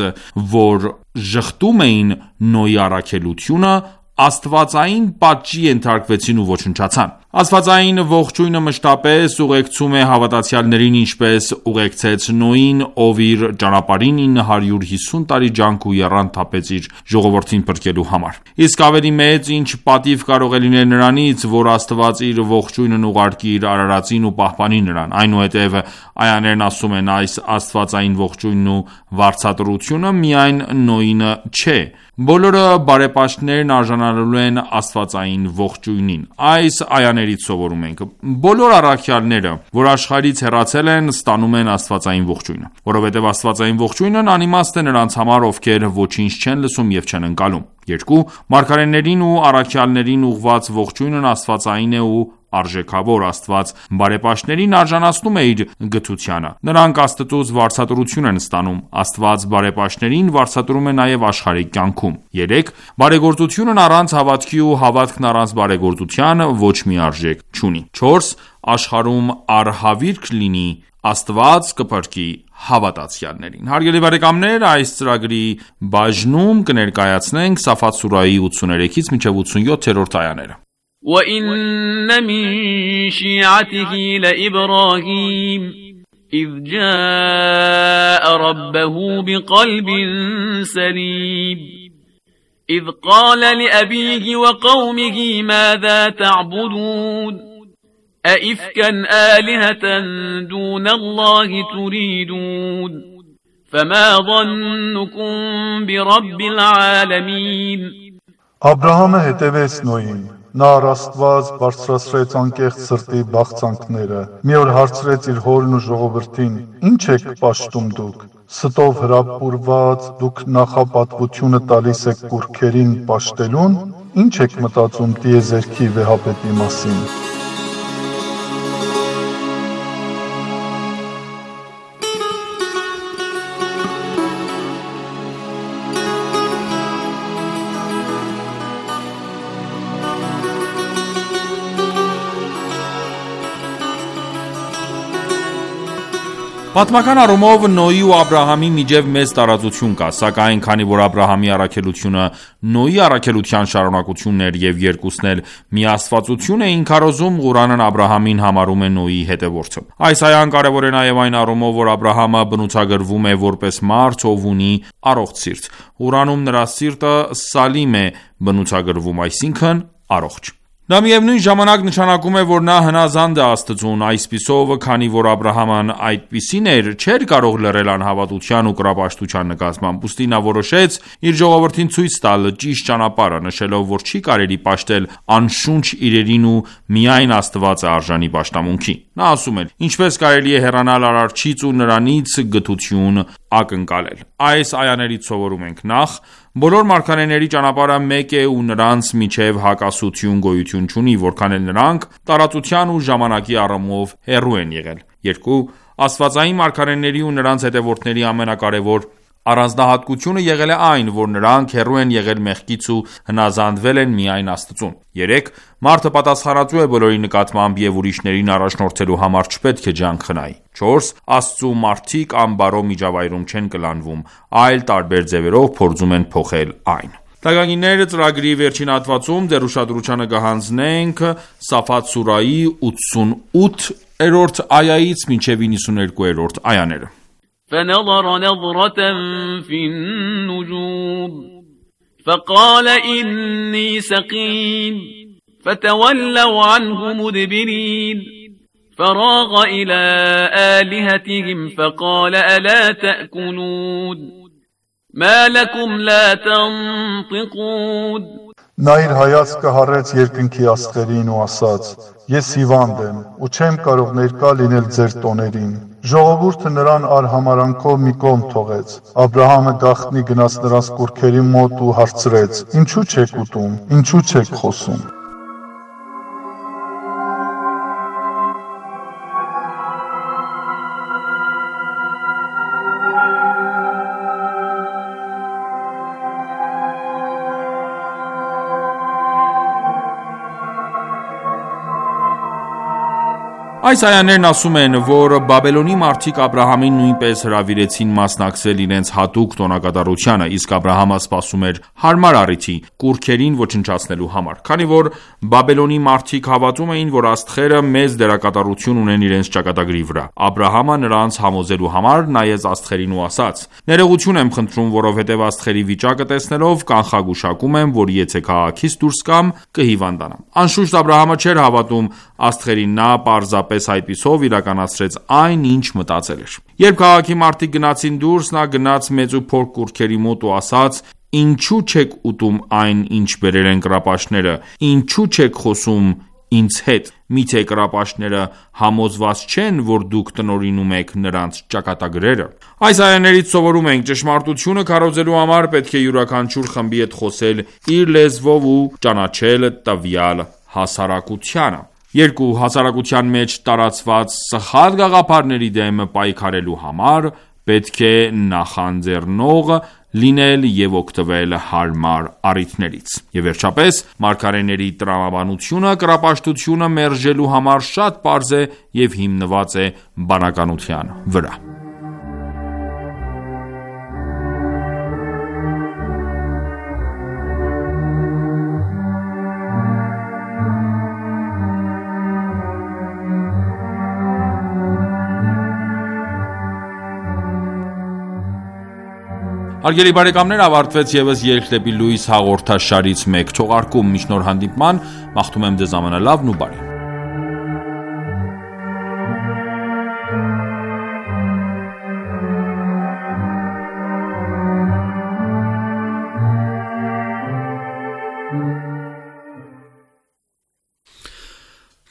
A: որ ժխտում էին Նոյի առաքելությունը, աստվածային պատժի ենթարկվեցին ու ոչնչացան։ Աստվածային ողջույնը մշտապես ուղեկցում է հավատացյալներին, ինչպես ուղեկցեց Նոյին, ով իր ճանապարհին 950 տարի ջանք ու եռանդ թափեց իր ժողովրդին փրկելու համար։ Իսկ ավելի մեծ ինչ պատիվ կարող է լինել նրանից, որ Աստված իր ողջույնն ուղարկի իր արարածին ու պահպանի նրան։ Այնուհետև այաներն ասում են, այս աստվածային ողջույնն ու վարձատրությունը միայն Նոյինը չէ, բոլորը բարեպաշտներն արժանանալու են աստվածային ողջույնին։ Այս այաներից սովորում ենք. բոլոր առաքյալները, որ աշխարհից հեռացել են, ստանում են աստվածային ողջույնը, որովհետև աստվածային ողջույնն անիմաստ է նրանց համար, ովքեր ոչինչ չեն լսում և չեն ընկալում։ 2. Մարգարեներին ու առաքյալներին ուղղված ողջույնն աստվածային է ու արժեքավոր։ Աստված բարեպաշտներին արժանացնում է իր գթությանը։ Նրանք Աստծուց վարձատրություն են ստանում։ Աստված բարեպաշտներին վարձատրում է նաև աշխարհիկ կյանքում։ 3. Բարեգործությունն առանց հավատքի ու հավատքն առանց բարեգործության ոչ մի արժեք չունի։ 4. Աշխարհում առհավիրք լինի, Աստված կփրկի հավատացյալներին։ Հարգելի բարեկամներ, այս ծրագրի բաժնում կներկայացնենք Սաֆաթ սուրահի 83-ից մինչև 87-րդ այաները։
C: وَإِنَّ مِن شِيعَتِهِ لَإِبْرَاهِيمَ إِذْ جَاءَ رَبَّهُ بِقَلْبٍ سَلِيمٍ إِذْ قَالَ لِأَبِيهِ وَقَوْمِهِ مَاذَا تَعْبُدُونَ أَئِفْكًا آلِهَةً دُونَ اللَّهِ تُرِيدُونَ فَمَا ظَنُّكُم بِرَبِّ الْعَالَمِينَ
J: Աբրահամը հետևեց Նոյին։ Նա առաստված բարձրացրեց անկեղծ սրտի բաղձանքները։ Մի օր հարցրեց իր հորն ու ժողովրդին. Ինչ եք պաշտում դուք։ Ստով հրապուրված դուք նախապատվությունը տալիս եք կուռքերին պաշտելուն։ Ինչ եք մտածում տիեզերքի վեհապետի մասին։
A: Պատմական առումով Նոյի ու Աբրահամի միջև մեծ տարածություն կա, սակայն քանի որ Աբրահամի առաքելությունը Նոյի առաքելության շարունակությունն էր և երկուսն էլ միաստվածություն էին քարոզում, Ղուրանն Աբրահամին համարում է Նոյի հետևորդը։ Այս այան կարևոր է նաև այն առումով, որ Աբրահամը բնութագրվում է որպես մարդ, ով ունի առողջ սիրտ։ Ղուրանում նրա սիրտը Սալիմ է բնութագրվում, այսինքն առողջ։ Դա միևնույն ժամանակ նշանակում է, որ նա հնազանդ է Աստծուն, այսպիսով, քանի որ Աբրահամն այդպիսին էր, չէր կարող լռել անհավատության ու կռապաշտության նկատմամբ, ուստի նա որոշեց իր ժողովրդին ցույց տալ ճիշտ ճանապարհը, նշելով, որ չի կարելի պաշտել անշունչ իրերին ու միայն Աստված է արժանի պաշտամունքի։ Նա ասում էր. ինչպես կարելի է հեռանալ Արարչից ու նրանից գթություն ակնկալել։ Այս այաներից սովորում ենք. նախ, բոլոր մարգարեների ճանապարհը մեկ է ու նրանց միջև հակասություն գոյություն չունի, որքան էլ նրանք տարածության ու ժամանակի առումով հեռու են եղել։ 2. Աստվածային մարգարեների ու նրանց հետևորդների ամենակարևոր առանձնահատկությունը եղել է այն, որ նրանք հեռու են եղել մեղքից ու հնազանդվել են միայն Աստծուն։ 3. Մարդը պատասխանատու է բոլորի նկատմամբ և ուրիշներին առաջնորդելու համար չպետք է ջանք խնայի։ 4. Աստծու մարդիկ անբարո միջավայրում չեն կլանվում, այլ տարբեր ձևերով փորձում են փոխել այն։ Թագագիններ ծրագրի վերջին հատվածում դեռ ուշադրությանը կհանձնենք Սաֆաթ սուրահի 88-րդ այայից մինչև 92-րդ այաները։
C: فنظر نظرة في النجوم فقال إني سقيم فتولوا عنه مدبرين فراغ إلى آلهتهم فقال ألا تأكلون ما لكم لا تنطقون
J: Նա իր հայացքը հառեց երկնքի աստղերին ու ասաց. Ես հիվանդ եմ ու չեմ կարող ներկա լինել ձեր տոներին։ Ժողովուրդը նրան արհամարանքով մի կողմ թողեց։ Աբրահամը գաղտնի գնաց նրանց կուռքերի մոտ ու հարցրեց. Ինչու չեք ուտում, ինչու չեք խոսում։
A: Այս այաներն ասում են, որ Բաբելոնի մարդիկ Աբրահամին նույնպես հրավիրեցին մասնակցել իրենց հատուկ տոնակատարությանը, իսկ Աբրահամը սպասում էր հարմար առիթի՝ կուռքերին ոչնչացնելու համար։ Քանի որ Բաբելոնի մարդիկ հավատում էին, որ աստղերը մեծ դերակատարություն ունեն իրենց ճակատագրի վրա, Աբրահամը նրանց համոզելու համար նայեց աստղերին ու ասաց. «Ներողություն եմ խնդրում, որովհետև աստղերի վիճակը տեսնելով կանխագուշակում եմ, որ եթե քաղաքից դուրս գամ, կհիվանդանամ»։ Անշուշտ Աբրահամը չէր հավատում աստղերին, նա պարզապես այդպիսով իրականացրեց այն, ինչ մտածել էր։ Երբ քաղաքի մարդիկ գնացին դուրս, նա գնաց մեծ ու փոքր կուռքերի մոտ ու ասաց. «Ինչու չեք ուտում այն, ինչ բերել են կռապաշտները, ինչու չեք խոսում ինձ հետ, միթե կռապաշտները համոզված չեն, որ դուք տնօրինում եք նրանց ճակատագրերը»։ Այս այաներից սովորում ենք. ճշմարտությունը քարոզելու համար պետք է յուրաքանչյուր խմբի հետ խոսել իր լեզվով ու ճանաչել տվյալ հասարակությանը։ Երկու հասարակության մեջ տարածված սխալ գաղափարների դեմ պայքարելու համար պետք է նախանձեռնող լինել և օգտվել հարմար առիթներից։ Եվ վերջապես, մարգարեների տրամաբանությունը կռապաշտությունը մերժելու համար շատ պարզ է և հիմնված է բանականության վրա։ Հարգելի բարեկամներ, ավարտվեց ևս Ելք դեպի լույս հաղորդաշարից մեկ թողարկում։ Մինչ նոր հանդիպման, մաղթում եմ ձեզ ամենալավն ու բարին։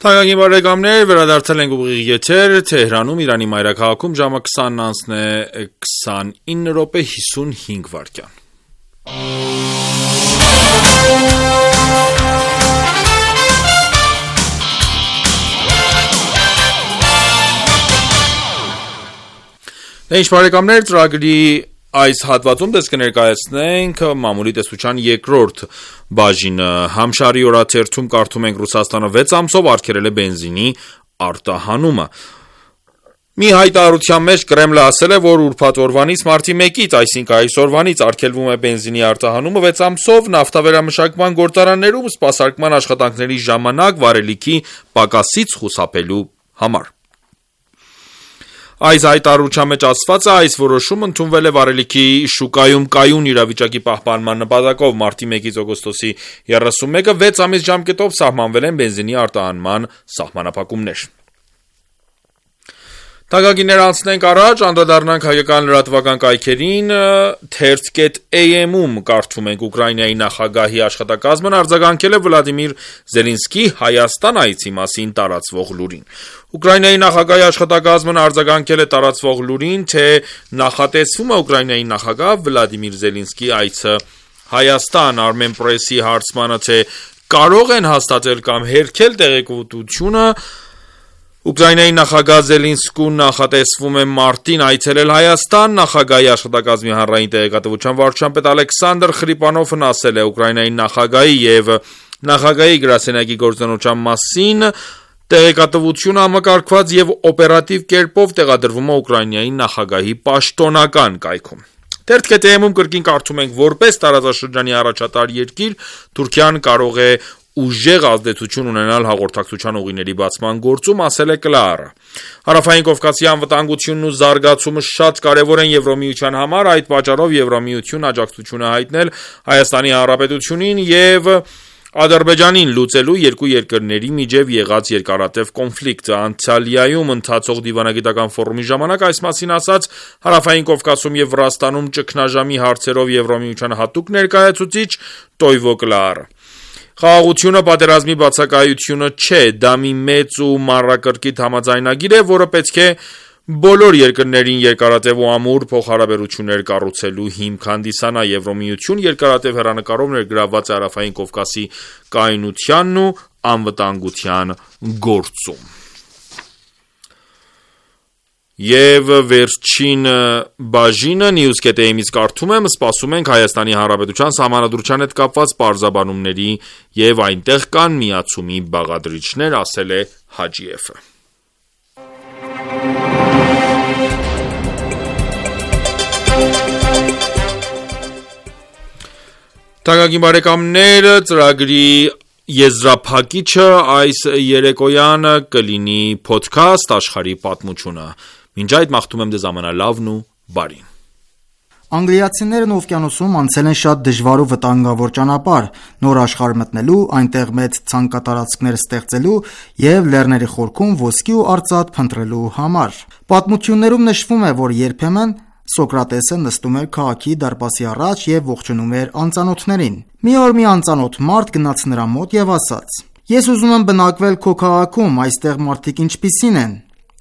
A: Թանկագին բարեկամներ, վերադարձել ենք ուղիղ եթեր Թեհրանում, Իրանի մայրաքաղաքում, ժամը 20:29:55։ Ինչ բարեկամներ, ծրագրի այս հատվածում դες կներկայացնենք մամուլի տեսության երկրորդ բաժինը։ Համշարի օրաթերթում կարդում ենք Ռուսաստանը 6 ամսով արգելել է բենզինի արտահանումը։ Մի հայտարարության մեջ Կրեմլը ասել է, որ ուրբաթ օրվանից մարտի 1-ից, այսինքն այսօրվանից արգելվում է բենզինի արտահանումը 6 ամսով նավթավերամշակման գործարաններում սպասարկման աշխատանքների ժամանակ վարելիքի պակասից խուսափելու համար։ Այս հայտարարության մեջ ասված է, այս որոշումը ընդունվել է վարելիքի շուկայում կայուն իրավիճակի պահպանման նպատակով։ Մարտի 1-ից օգոստոսի 31-ը 6 ամիս ժամկետով սահմանվել են բենզինի արտահանման սահմանափակումներ։ Թանկագիններ, անցնենք առաջ, անդրադառնանք հայկական լրատվական կայքերին, թերթ.am-ում կարդում ենք Ուկրաինայի նախագահի աշխատակազմն արձագանքել է Վլադիմիր Զելենսկի Հայաստան այցի մասին տարածվող լուրին։ Ուկրաինայի նախագահի աշխատակազմն արձագանքել է տարածվող լուրին, թե նախատեսվում է Ուկրաինայի նախագահ Վլադիմիր Զելենսկի այցը Հայաստան։ Armenpress-ի հարցմանը, թե կարող են հաստատել կամ հերքել տեղեկատվությունը, Ուկրաինայի նախագահ Զելենսկուն նախատեսվում է մարտին այցելել Հայաստան։ Նախագահի աշխատակազմի հանրային տեղեկատվության վարչության պետ Ալեքսանդր Խրիպանովն ասել է Ուկրաինայի նախագահի և նախագահի գրասենյակի գործունեության մասին տեղեկատվությունը համակարգված և օպերատիվ կերպով տեղադրվում է Ուկրաինայի նախագահի պաշտոնական կայքում։ Թերթ.am-ում կրկին կարդում ենք, որպես տարածաշրջանի առաջատար երկիր, Թուրքիան կարող է ուժեղ ազդեցություն ունենալ հաղորդակցության ուղիների բացման գործում, ասել է Կլաարը։ Հարավային Կովկասի անվտանգությունն ու զարգացումը շատ կարևոր են Եվրամիության համար, այդ պատճառով Եվրամիությունն աջակցություն է հայտնել Հայաստանի Հանրապետությունին և Ադրբեջանին լուծելու երկու երկրների միջև եղած երկարատև կոնֆլիկտը։ Անտալիայում ընթացող դիվանագիտական ֆորումի ժամանակ այս մասին ասաց Հարավային Կովկասում և Վրաստանում ճգնաժամի հարցերով Եվրամիության հատուկ ներկայացուցիչ Տոյվո Կլաարը։ Խաղաղությունը պատերազմի բացակայությունը չէ, դա մի մեծ ու մանրակրկիտ համաձայնագիր է, որը պետք է բոլոր երկրներին երկարատև ու ամուր փոխհարաբերություններ կառուցելու հիմք հանդիսանա։ Եվրամիություն երկարատև հեռանկարով ներգրավված է Հարավային Կովկասի կայունությանն ու անվտանգության գործում։ Եվ վերջին բաժինը News.am-ից կարդում եմ, սպասում ենք Հայաստանի Հանրապետության սահմանադրության հետ կապված պարզաբանումների և այնտեղ կան միացումի բաղադրիչներ, ասել է Հաջիևը։ Թանկագին բարեկամներ, ծրագրի եզրափակիչը այս երեկոյան կլինի podcast աշխարհի պատմությունը։ Մինչ այդ մաղթում եմ ձեզ ամենալավն ու բարին։
K: Անգլիացիներն օվկիանոսում անցել են շատ դժվար ու վտանգավոր ճանապարհ, նոր աշխարհ մտնելու, այնտեղ մեծ ցանկատարածքներ ստեղծելու եւ լեռների խորքում ոսկի ու արծաթ փնտրելու համար։ Պատմություններում նշվում է, որ երբեմն Սոկրատեսը նստում էր քաղաքի դարպասի առաջ եւ ողջունում էր անծանոթներին։ Մի օր մի անծանոթ մարդ գնաց նրա մոտ եւ ասաց. «Ես ուզում եմ բնակվել քո քաղաքում, այստեղ մարդիկ ինչպիսին են»։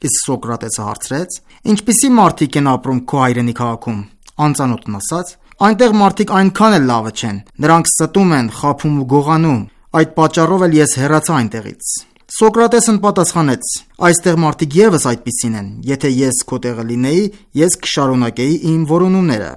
K: Իսկ Սոկրատեսը հարցրեց. «Ինչպիսի մարդիկ են ապրում քո հայրենի քաղաքում»։ Անծանոթն ասաց. «Այնտեղ մարդիկ այնքան էլ լավը չեն, նրանք ստում են, խաբում ու գողանում, այդ պատճառով էլ ես հեռացա այնտեղից»։ Սոկրատեսն պատասխանեց. «Այստեղ մարդիկ եւս այդպիսին են, եթե ես քո տեղը լինեի, ես կշարունակեի իմ որոնումները»։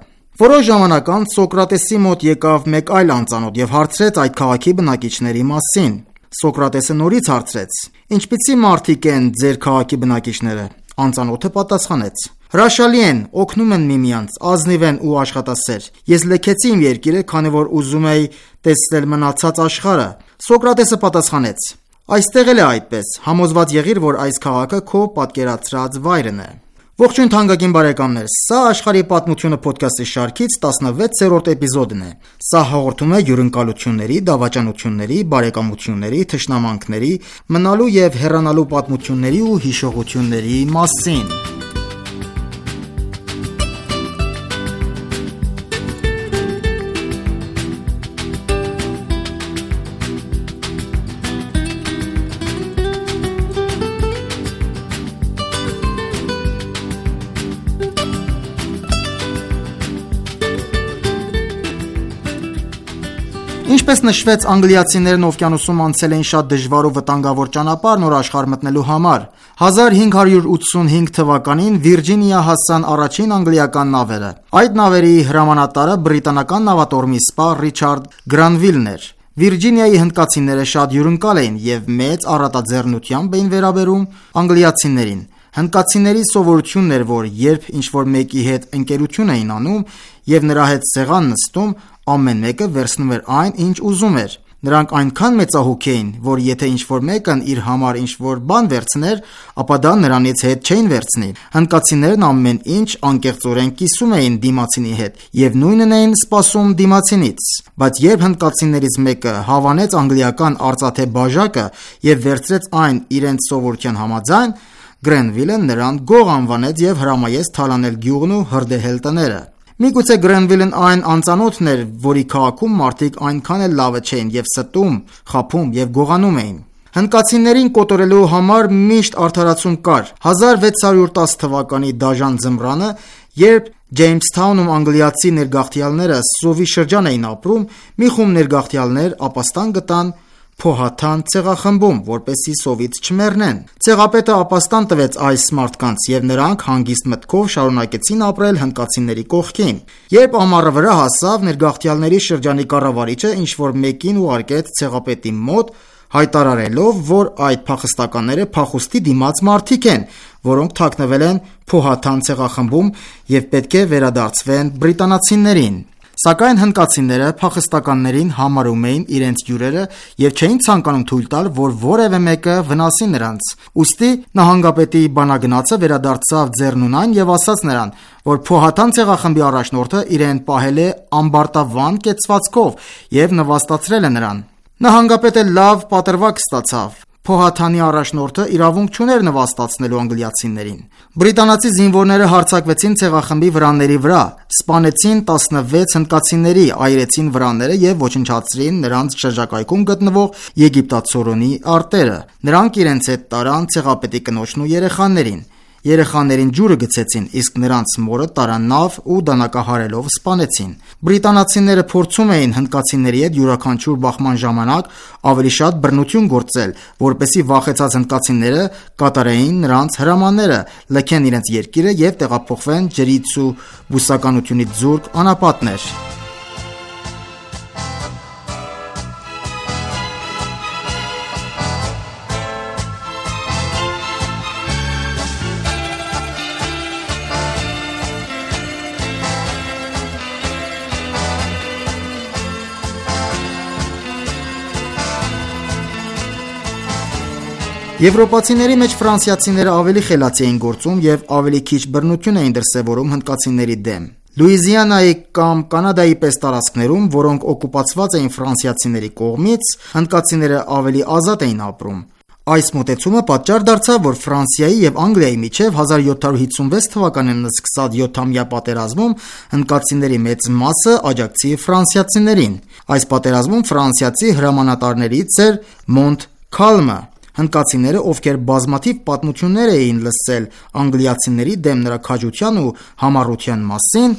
K: Որոշ ժամանակ անց Սոկրատեսի մոտ եկավ մեկ այլ անծանոթ եւ հարցրեց այդ քաղաքի բնակիչների մասին։ Սոկրատեսը նորից հարցրեց. «Ինչպիսի մարդիկ են ձեր քաղաքի բնակիչները»։ Անծանոթը պատասխանեց. «Հրաշալի են, օգնում են միմյանց, ազնիվ են ու աշխատասեր։ Ես լքեցի իմ երկիրը, քանի որ ուզում էի տեսնել մնացած աշխարհը»։ Սոկրատեսը պատասխանեց. «Այստեղ էլ է այդպես, համոզված եղիր, որ այս քաղաքը քո պատկերացրած վայրն է»։ Ողջույն թանկագին բարեկամներ, սա աշխարհի պատմությունը ոդքասթի շարքից 16-րդ էպիզոդն է։ Սա հաղորդում է հյուրընկալությունների, դավաճանությունների, բարեկամությունների, թշնամանքների, մնալու եւ հեռանալու պատմությունների ու հիշողությունների մասին։ Ինչպես նշվեց, անգլիացիներն օվկիանոսում անցել էին շատ դժվար ու վտանգավոր ճանապարհ նոր աշխարհ մտնելու համար։ 1585 թվականին Վիրջինիա հասան առաջին անգլիական նավերը։ Այդ նավերի հրամանատարը բրիտանական նավատորմի սպա Ռիչարդ Գրանվիլն էր։ Վիրջինիայի հնդկացիները շատ հյուրընկալ էին եւ մեծ առատաձեռնությամբ էին վերաբերում անգլիացիներին։ Հնդկացիների սովորությունն էր, որ երբ ինչ-որ մեկի հետ ընկերություն էին անում եւ նրա հետ սեղան նստում, ամեն մեկը վերցնում էր այն, ինչ ուզում էր։ Նրանք այնքան մեծահոգ էին, որ եթե ինչ-որ մեկն իր համար ինչ-որ բան վերցներ, ապա դա նրանից հետ չէին վերցնի։ Հնդկացիներն ամեն ինչ անկեղծորեն կիսում էին դիմացինի հետ եւ նույնն էին սպասում դիմացինից։ Բայց երբ հնդկացիներից մեկը հավանեց անգլիական արծաթե բաժակը եւ վերցրեց այն իրենց սովորության համաձայն, Գրանվիլը նրան գող անվանեց եւ հրամայեց թալանել գյուղն ու հրդեհել տները։ Միգուցե Գրանվիլն այն անծանոթն էր, որի քաղաքում մարդիկ այնքան էլ լավը չէին եւ ստում, խաբում եւ գողանում էին։ Հնդկացիներին կոտորելու համար միշտ արդարացում կար։ 1610 թվականի դաժան ձմռանը, երբ Ջեյմսթաունում անգլիացի ներգաղթյալները սովի շրջան էին ապրում, մի խումբ ներգաղթյալներ ապաստան գտան Փոհաթան ցեղախմբում, որպեսզի սովից չմեռնեն։ Ցեղապետը ապաստան տվեց այս մարդկանց եւ նրանք հանգիստ մտքով շարունակեցին ապրել հնդկացիների կողքին։ Երբ ամառը վրա հասավ, ներգաղթյալների շրջանի կառավարիչը ինչ-որ մեկին ուղարկեց ցեղապետի մոտ, հայտարարելով, որ այդ փախստականները փախուստի դիմաց մարդիկ են, որոնք թաքնվել են Փոհաթան ցեղախմբում եւ պետք է վերադարձվեն բրիտանացիներին։ Սակայն հնդկացիները փախստականներին համարում էին իրենց հյուրերը եւ չէին ցանկանում թույլ տալ, որ որևէ մեկը վնասի նրանց։ Ուստի նահանգապետի բանագնացը վերադարձավ ձեռնունայն եւ ասաց նրան, որ Փոհաթան ցեղախմբի առաջնորդը իրեն պահել է ամբարտավան կեցվածքով եւ նվաստացրել է նրան։ Նահանգապետը լավ պատրվակ ստացավ։ Փոհաթանի առաջնորդը իրավունք չուներ նվաստացնելու անգլիացիներին։ Բրիտանացի զինվորները հարձակվեցին ցեղախմբի վրանների վրա, սպանեցին 16 հնդկացիների, այրեցին վրանները եւ ոչնչացրին նրանց շրջակայքում գտնվող եգիպտացորոնի արտերը։ Նրանք իրենց հետ տարան ցեղապետի կնոջն ու երեխաներին։ Երեխաներին ջուրը գցեցին, իսկ նրանց մորը տարան նավ ու դանակահարելով սպանեցին։ Բրիտանացիները փորձում էին հնդկացիների հետ յուրաքանչյուր բախման ժամանակ ավելի շատ բռնություն գործել, որպեսզի վախեցած հնդկացիները կատարեին նրանց հրամանները, լքեն իրենց երկիրը եւ տեղափոխվեն ջրից ու բուսականությունից զուրկ անապատներ։ Եվրոպացիների մեջ ֆրանսիացիները ավելի խելացի էին գործում եւ ավելի քիչ բռնություն էին դրսեւորում հնդկացիների դեմ։ Լուիզիանայի կամ Կանադայի պես տարածքներում, որոնք օկուպացված էին ֆրանսիացիների կողմից, հնդկացիները ավելի ազատ էին ապրում։ Այս մոտեցումը պատճառ դարձավ, որ Ֆրանսիայի եւ Անգլիայի միջև 1756 թվականին սկսած 7-ամյա պատերազմում հնդկացիների մեծ մասը աջակցի ֆրանսիացիներին։ Այս պատերազմում ֆրանսիացի հրամանատարներից էր Մոնտքալմը։ Հնդկացիները, ովքեր բազմաթիվ պատմություններ էին լսել անգլիացիների դեմ նրա քաջության ու համառության մասին,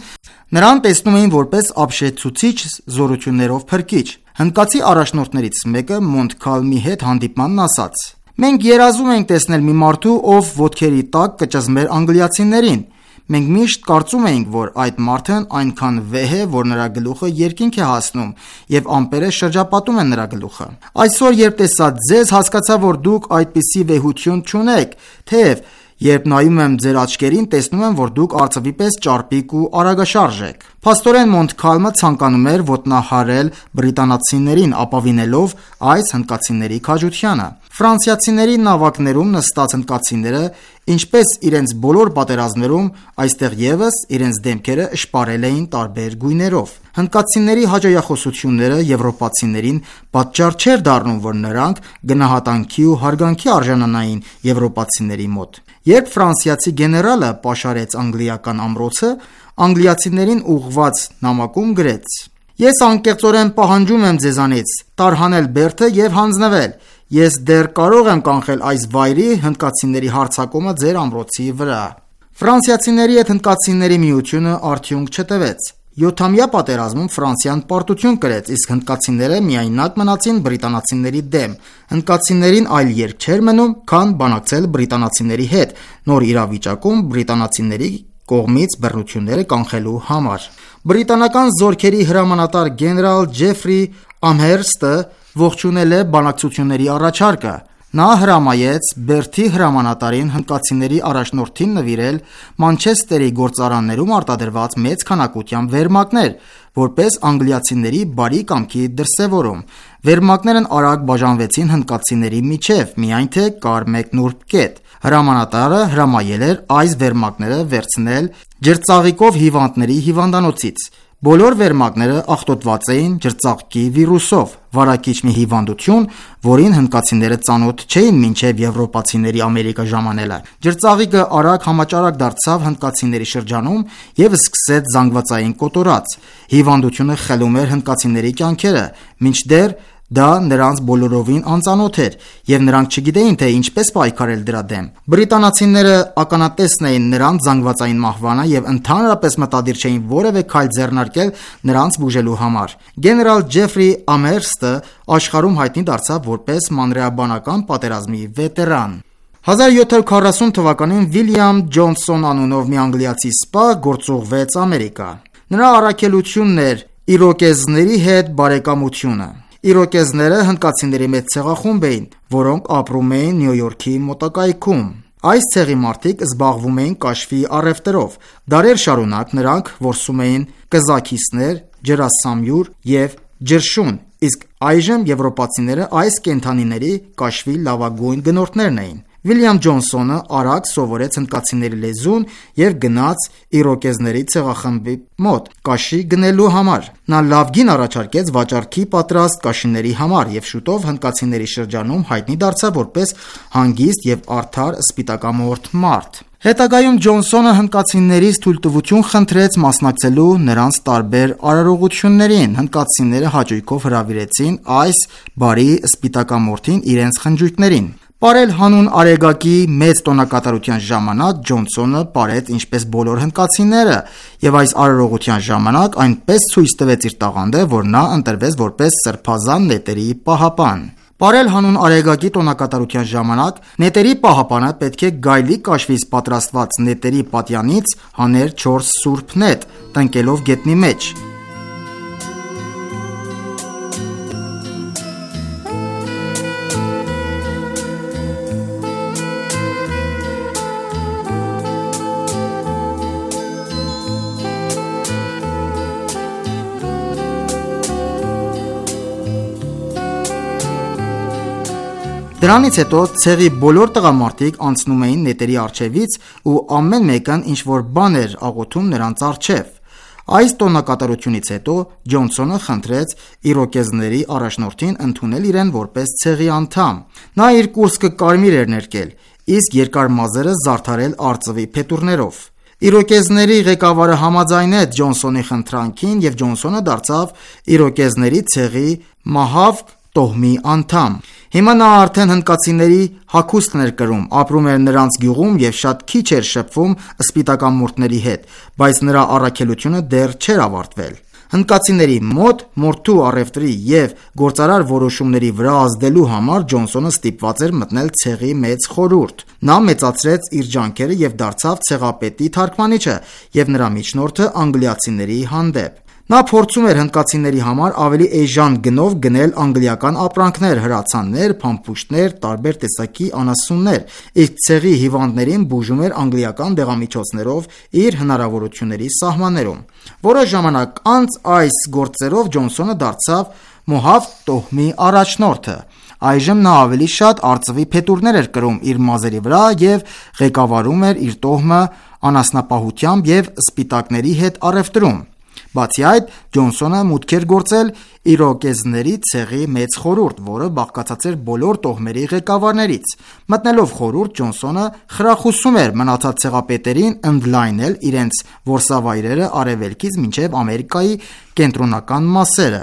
K: նրան տեսնում էին որպես ապշեցուցիչ զորություններով փրկիչ։ Հնդկացի առաջնորդներից մեկը Մոնտքալմի հետ հանդիպմանն ասաց. «Մենք երազում ենք տեսնել մի մարդու, ով ոտքերի տակ կճզմեր անգլիացիներին։ Մենք միշտ կարծում էինք, որ այդ մարդն այնքան վեհ է, որ նրա գլուխը երկինք է հասնում եւ ամպերը շրջապատում են նրա գլուխը։ Այսօր, երբ տեսա ձեզ, հասկացա, որ դուք այդպիսի վեհություն չունեք, թեև երբ նայում եմ ձեր աչքերին, տեսնում եմ, որ դուք արծվի պես ճարպիկ ու արագաշարժ եք»։ Փաստորեն Մոնտքալմը ցանկանում էր ոտնահարել բրիտանացիներին, ապավինելով այս հնդկացիների քաջությանը։ Ֆրանսիացիների նավակներում նստած հնդկացիները, ինչպես իրենց բոլոր պատերազմներում, այստեղ եւս իրենց դեմքերը շպարել էին տարբեր գույներով։ Հնդկացիների հաճոյախոսությունները եվրոպացիներին պատճառ չէր դառնում, որ նրանք գնահատանքի ու հարգանքի արժանանային եվրոպացիների մոտ։ Երբ ֆրանսիացի գեներալը պաշարեց անգլիական ամրոցը, անգլիացիներին ուղղված նամակում գրեց. «Ես անկեղծորեն պահանջում եմ ձեզանից տարհանել բերդը եւ հանձնվել։ Ես դեռ կարող եմ կանխել այս վայրի հնդկացիների հարձակումը ձեր ամրոցի վրա»։ Ֆրանսիացիների հետ հնդկացիների միությունը արդյունք չտվեց։ 7-ամյա պատերազմում Ֆրանսիան պարտություն կրեց, իսկ հնդկացիները միայնակ մնացին բրիտանացիների դեմ։ Հնդկացիներին այլ ելք չէր մնում, քան բանակցել բրիտանացիների հետ նոր իրավիճակում բրիտանացիների կողմից բռնությունները կանխելու համար։ Բրիտանական զորքերի հրամանատար գեներալ Ջեֆրի Ամհերստը ողջունել է բանակցությունների առաջարկը։ Նա հրամայեց Բերթի հրամանատարին հնդկացիների առաջնորդին նվիրել Մանչեսթերի գործարաններում արտադրված մեծ քանակությամբ վերմակներ, որպես անգլիացիների բարի կամքի դրսևորում։ Վերմակներն արագ բաժանվեցին հնդկացիների միջև, միայն թե կար մեկ նուրբ կետ։ Հրամանատարը հրամայել էր այս վերմակները վերցնել ջրծաղիկով հիվանդների հիվանդանոցից։ Բոլոր վերմակները աղտոտված էին ջրծաղկի վիրուսով, վարակիչ մի հիվանդություն, որին հնդկացիները ծանոթ չէին մինչև եվրոպացիների Ամերիկա ժամանելը։ Ջրծաղիկը արագ համաճարակ դարձավ հնդկացիների շրջանում եւ սկսեց զանգվածային կոտորած։ Հիվանդությունը խելում էր հնդկացիների կյանքերը, մինչդեռ դա նրանց բոլորովին անծանոթ էր, եւ նրանք չգիտեին, թե ինչպես պայքարել դրա դեմ։ Բրիտանացիները ականատեսն էին նրանց զանգվածային մահվանը եւ ընդհանրապես մտադիր չէին որևէ քայլ ձեռնարկել նրանց բուժելու համար։ Գեներալ Ջեֆրի Ամհերստը աշխարհում հայտնի դարձավ որպես մանրեաբանական պատերազմի վետերան։ 1740 թվականին Վիլյամ Ջոնսոն անունով մի անգլիացի սպա գործուղվեց Ամերիկա։ Նրա առաքելությունն էր իրոկեզների հետ բարեկամությունը։ Իրոկեզները հնդկացիների մեծ ցեղախումբ էին, որոնք ապրում էին Նյու Յորքի մոտակայքում։ Այս ցեղի մարդիկ զբաղվում էին կաշվի առևտրով։ Դարեր շարունակ նրանք որսում էին կզաքիսներ, ջրասամյուր եւ ջրշուն, իսկ այժմ եվրոպացիները այս կենդանիների կաշվի լավագույն գնորդներն էին։ Վիլյամ Ջոնսոնը արագ սովորեց հնդկացիների լեզուն եւ գնաց իրոկեզների ցեղախմբի մոտ կաշի գնելու համար։ Նա լավ գին առաջարկեց վաճառքի պատրաստ կաշիների համար եւ շուտով հնդկացիների շրջանում հայտնի դարձավ որպես հանգիստ եւ արդար սպիտակամորթ մարդ։ Հետագայում Ջոնսոնը հնդկացիներից թույլտվություն խնդրեց մասնակցելու նրանց տարբեր արարողություններին։ Հնդկացիները հաճույքով հրավիրեցին այս բարի սպիտակամորթին իրենց խնջույքներին։ Պարել հանուն Արեգակի մեծ տոնակատարության ժամանակ Ջոնսոնը պարեց ինչպես բոլոր հնդկացիները եւ այս արարողության ժամանակ այնպես ցույց տվեց իր տաղանդը, որ նա ընտրվեց որպես սրբազան նետերի պահապան։ Պարել հանուն Արեգակի տոնակատարության ժամանակ նետերի պահապանը պետք է գայլի կաշվից պատրաստված նետերի պատյանից հաներ 4 սուրբ նետ, տնկելով գետնի մեջ։ Դրանից հետո ցեղի բոլոր տղամարդիկ անցնում էին նետերի առջևից ու ամեն մեկն ինչ-որ բան էր աղոթում նրանց առջև։ Այս տոնակատարությունից հետո Ջոնսոնը խնդրեց իրոկեզների առաջնորդին ընդունել իրեն որպես ցեղի անդամ։ Նա իր կուրծքը կարմիր էր ներկել, իսկ երկար մազերը զարդարել արծվի փետուրներով։ Իրոկեզների ղեկավարը համաձայնեց Ջոնսոնի խնդրանքին և Ջոնսոնը դարձավ իրոկեզների ցեղի Մահավ տոհմի անդամ։ Հիմա նա արդեն հնդկացիների հագուստն էր կրում, ապրում էր նրանց գյուղում և շատ քիչ էր շփվում սպիտակամորթների հետ, բայց նրա առաքելությունը դեռ չէր ավարտվել։ Հնդկացիների մոտ մորթու առևտրի և գործարար որոշումների վրա ազդելու համար Ջոնսոնը ստիպված էր մտնել ցեղի մեծ խորհուրդ։ Նա մեծացրեց իր ջանքերը և դարձավ ցեղապետի թարգմանիչը և նրա միջնորդը անգլիացիների հանդեպ։ Նա փորձում էր հնդկացիների համար ավելի էժան գնով գնել անգլիական ապրանքներ, հրացաններ, փամփուշտներ, տարբեր տեսակի անասուններ, իսկ ցեղի հիվանդներին բուժում էր անգլիական դեղամիջոցներով իր հնարավորությունների սահմաններում։ Որոշ ժամանակ անց այս գործերով Ջոնսոնը դարձավ Մոհավ տոհմի առաջնորդը։ Այժմ նա ավելի շատ արծվի փետուրներ էր կրում իր մազերի վրա և ղեկավարում էր իր տոհմը անասնապահությամբ և սպիտակների հետ առևտրում։ Բացի այդ, Ջոնսոնը մուտք էր գործել իրոկեզների ցեղի մեծ խորհուրդ, որը բաղկացած էր բոլոր տոհմերի ղեկավարներից։ Մտնելով խորհուրդ, Ջոնսոնը խրախուսում էր մնացած ցեղապետերին ընդլայնել իրենց որսավայրերը արևելքից մինչև Ամերիկայի կենտրոնական մասերը։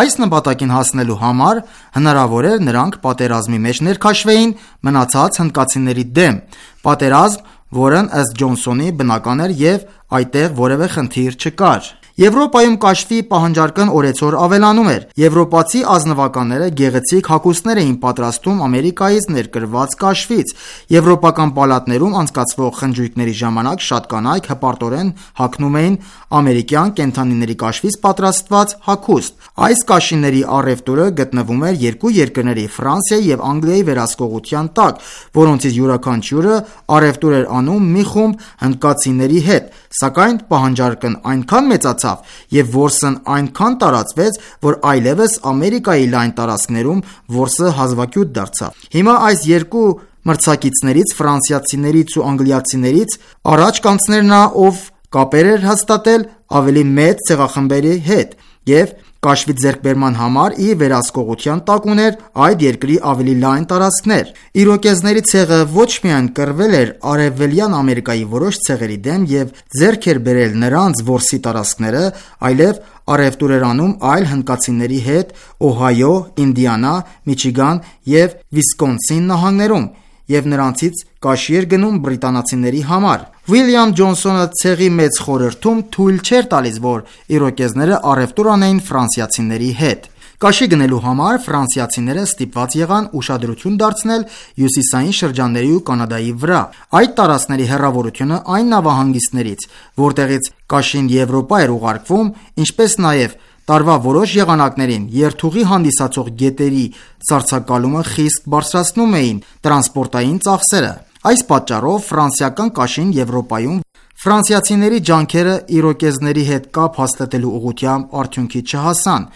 K: Այս նպատակին հասնելու համար հնարավոր էր նրանք պատերազմի մեջ ներքաշվեին մնացած հնդկացիների դեմ, պատերազմ, որն ըստ Ջոնսոնի բնական էր և այդտեղ որևէ խնդիր չկար։ Եվրոպայում կաշվի պահանջարկն օրեցօր ավելանում էր։ Եվրոպացի ազնվականները գեղեցիկ հագուստներ էին պատրաստում Ամերիկայից ներկրված կաշվից։ Եվրոպական պալատներում անցկացվող խնջույքների ժամանակ շատ կանայք հպարտորեն հագնում էին ամերիկյան կենդանիների կաշվից պատրաստված հագուստ։ Այս կաշիների առևտուրը գտնվում էր երկու երկրների՝ Ֆրանսիայի և Անգլիայի վերահսկողության տակ, որոնցից յուրաքանչյուրը առևտուր էր անում մի խումբ հնդկացիների հետ, սակայն պահանջարկն այնքան մեծացավ և որսն այնքան տարածվեց, որ այլևս Ամերիկայի լայն տարածքներում որսը հազվագյուտ դարձավ։ Հիմա այս երկու մրցակիցներից՝ ֆրանսիացիներից ու անգլիացիներից, առաջ կանցներ նա, ով կապեր էր հաստատել ավելի մեծ ցեղախմբերի հետ և կաշվի ձեռքբերման համար իր վերահսկողության տակ ուներ այդ երկրի ավելի լայն տարածքներ։ Իրոկեզների ցեղը ոչ միայն կռվել էր Արևելյան Ամերիկայի որոշ ցեղերի դեմ և ձեռք էր բերել նրանց որսի տարածքները, այլև առևտուր էր անում այլ հնդկացիների հետ Օհայո, Ինդիանա, Միչիգան և Վիսկոնսին նահանգներում և նրանցից կաշի էր գնում բրիտանացիների համար։ Ուիլյամ Ջոնսոնը ցեղի մեծ խորհրդում թույլ չէր տալիս, որ իրոկեզները առևտուր անեին ֆրանսիացիների հետ։ Կաշի գնելու համար ֆրանսիացիները ստիպված եղան ուշադրություն դարձնել հյուսիսային շրջանների ու Կանադայի վրա։ Այդ տարածքների հեռավորությունը այն նավահանգիստներից, որտեղից կաշին Եվրոպա էր ուղարկվում, ինչպես նաև տարվա որոշ եղանակներին երթուղի հանդիսացող գետերի սառցակալումը խիստ բարձրացնում էին տրանսպորտային ծախսերը։ Այս պատճառով ֆրանսիական կաշին Եվրոպայում ֆրանսիացիների ջանքերը իրոկեզների հետ կապ հաստատելու ուղղությամբ արդյունքի չհասան։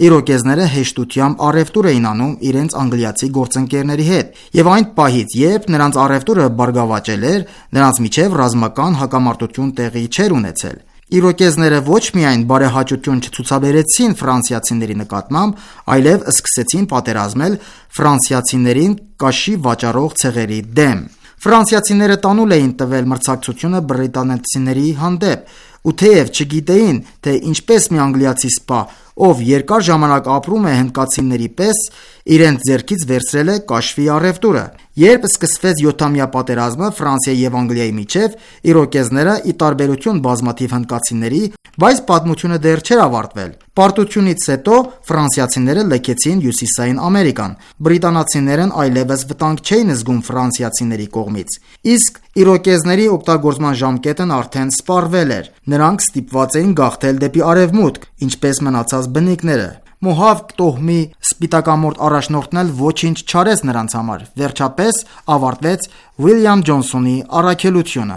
K: Իրոկեզները հեշտությամբ առևտուր էին անում իրենց անգլիացի գործընկերների հետ, և այն պահից, երբ նրանց առևտուրը բարգավաճել էր, նրանց միջև ռազմական հակամարտություն տեղի չէր ունեցել։ Իրոկեզները ոչ միայն բարեհաճություն չցուցաբերեցին ֆրանսիացիների նկատմամբ, այլև սկսեցին պատերազմել ֆրանսիացիներին կաշի վաճառող ցեղերի դեմ։ Ֆրանսիացիները տանուլ էին տվել մրցակցությունը բրիտանացիների հանդեպ, ու թեև չգիտեին, թե ինչպես մի անգլիացի սպա, ով երկար ժամանակ ապրում է հնդկացիների պես, իրենց ձեռքից վերցրել է կաշվի առևտուրը։ Երբ սկսվեց 7-ամյա պատերազմը Ֆրանսիայի և Անգլիայի միջև, իրոկեզները, ի տարբերություն բազմաթիվ հնդկացիների, բայց պատմությունը դեռ չէր ավարտվել։ Պարտությունից հետո ֆրանսիացիները լքեցին Հյուսիսային Ամերիկան։ Բրիտանացիներն այլևս վտանգ չէին զգում ֆրանսիացիների կողմից, իսկ իրոկեզների օգտագործման ժամկետն արդեն սպառվել էր։ Նրանք ստիպված էին գաղթել դեպի արևմուտք, ինչպես մնացած բնիկները։ Մոհավ տոհմի սպիտակամորթ առաջնորդն էլ ոչինչ չարեց նրանց համար։ Վերջապես ավարտվեց Ուիլյամ Ջոնսոնի առաքելությունը։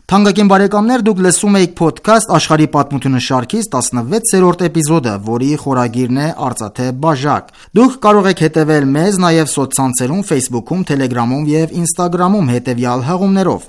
K: Թանկագին բարեկամներ, դուք լսում եք podcast աշխարհի պատմությունը շարքից 16-րդ էպիզոդը, որի խորագիրն է Արծաթե բաժակ։ Դուք կարող եք հետևել մեզ նաև սոցցանցերում, Facebook-ում, Telegram-ում եւ Instagram-ում հետևյալ հղումներով.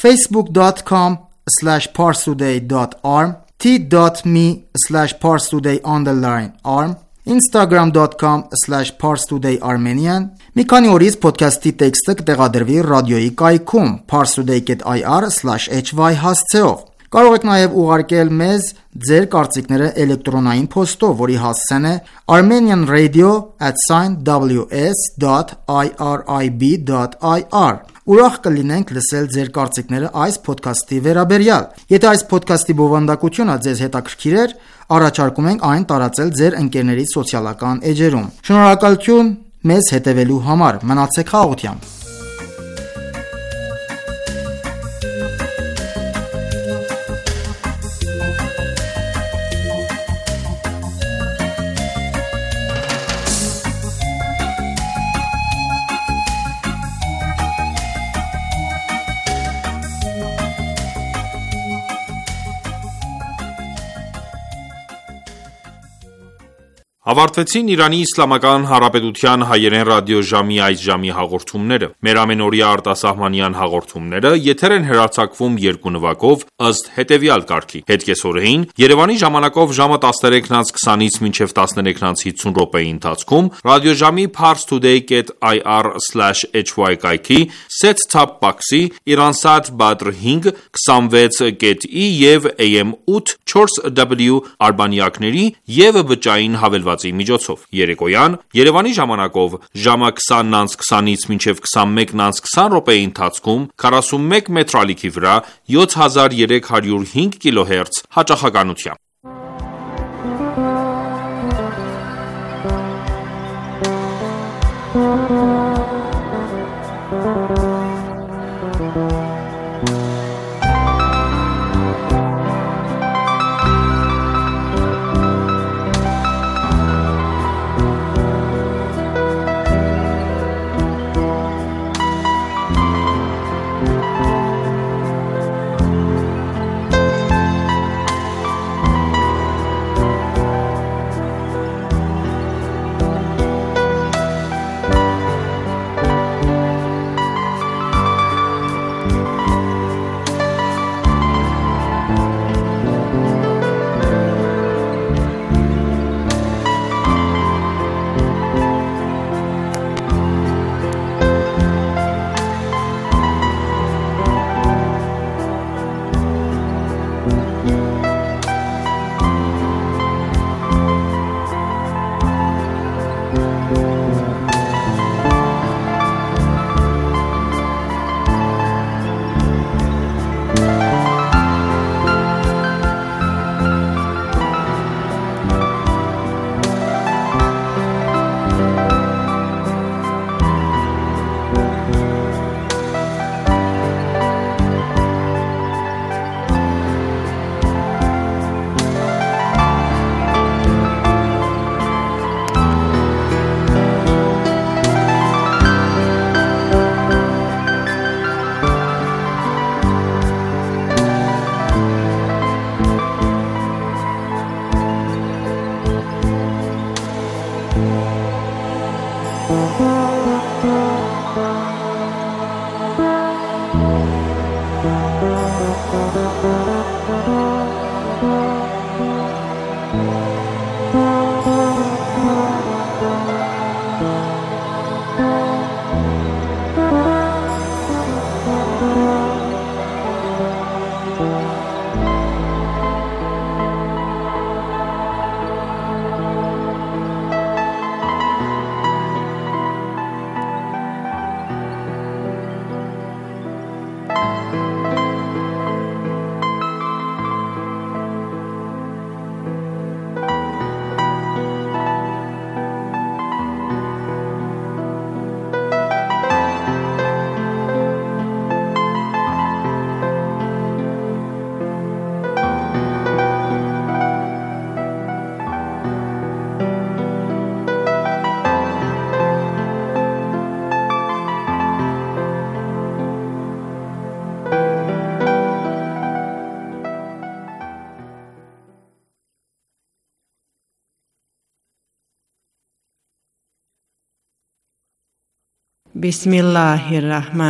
K: facebook.com/parstoday.arm, t.me/parstoday_arm, instagram.com/parstodayarmenian։ Մի քանի օրից podcast-ի տեքստը կտեղադրվի ռադիոյի կայքում parstoday.ir/hy հասցեով։ Կարող եք նաև ուղարկել մեզ ձեր կարծիքները էլեկտրոնային փոստով, որի հասցեն է armenianradio@ws.irib.ir։ Ուրախ կլինենք լսել ձեր կարծիքները այս podcast-ի վերաբերյալ։ Եթե այս podcast-ի բովանդակությունը ձեզ հետաքրքիր էր, առաջարկում ենք այն տարածել ձեր ընկերների սոցիալական էջերում։ Շնորհակալություն մեզ հետևելու համար։ Մնացեք խաղաղությամբ։
A: Ավարտվեցին Իրանի Իսլամական Հանրապետության հայերեն ռադիոժամի այս ժամի հաղորդումները։ Մեր ամենօրյա արտասահմանյան հաղորդումները եթեր են հեռարձակվում երկու նվագով ըստ հետևյալ կարգի. Հետկեսօրեին Երևանի ժամանակով ժամը 13:20-ից մինչև 13:50 րոպեի ընթացքում ռադիոժամի parstoday.ir/hy կայքի set-top box-ի Iransat Badr 5 26.ի եւ AM 8 4W արբանյակների եւ բջջային հավելված միջոցով։ Երեկոյան Երևանի ժամանակով ժամը 20:20-ից մինչև 21:20 րոպեի ընթացքում 41 մետրալիքի վրա 7305 կիլոհերց հաճախականությամբ։
B: Բիսմիլլահիր ռահման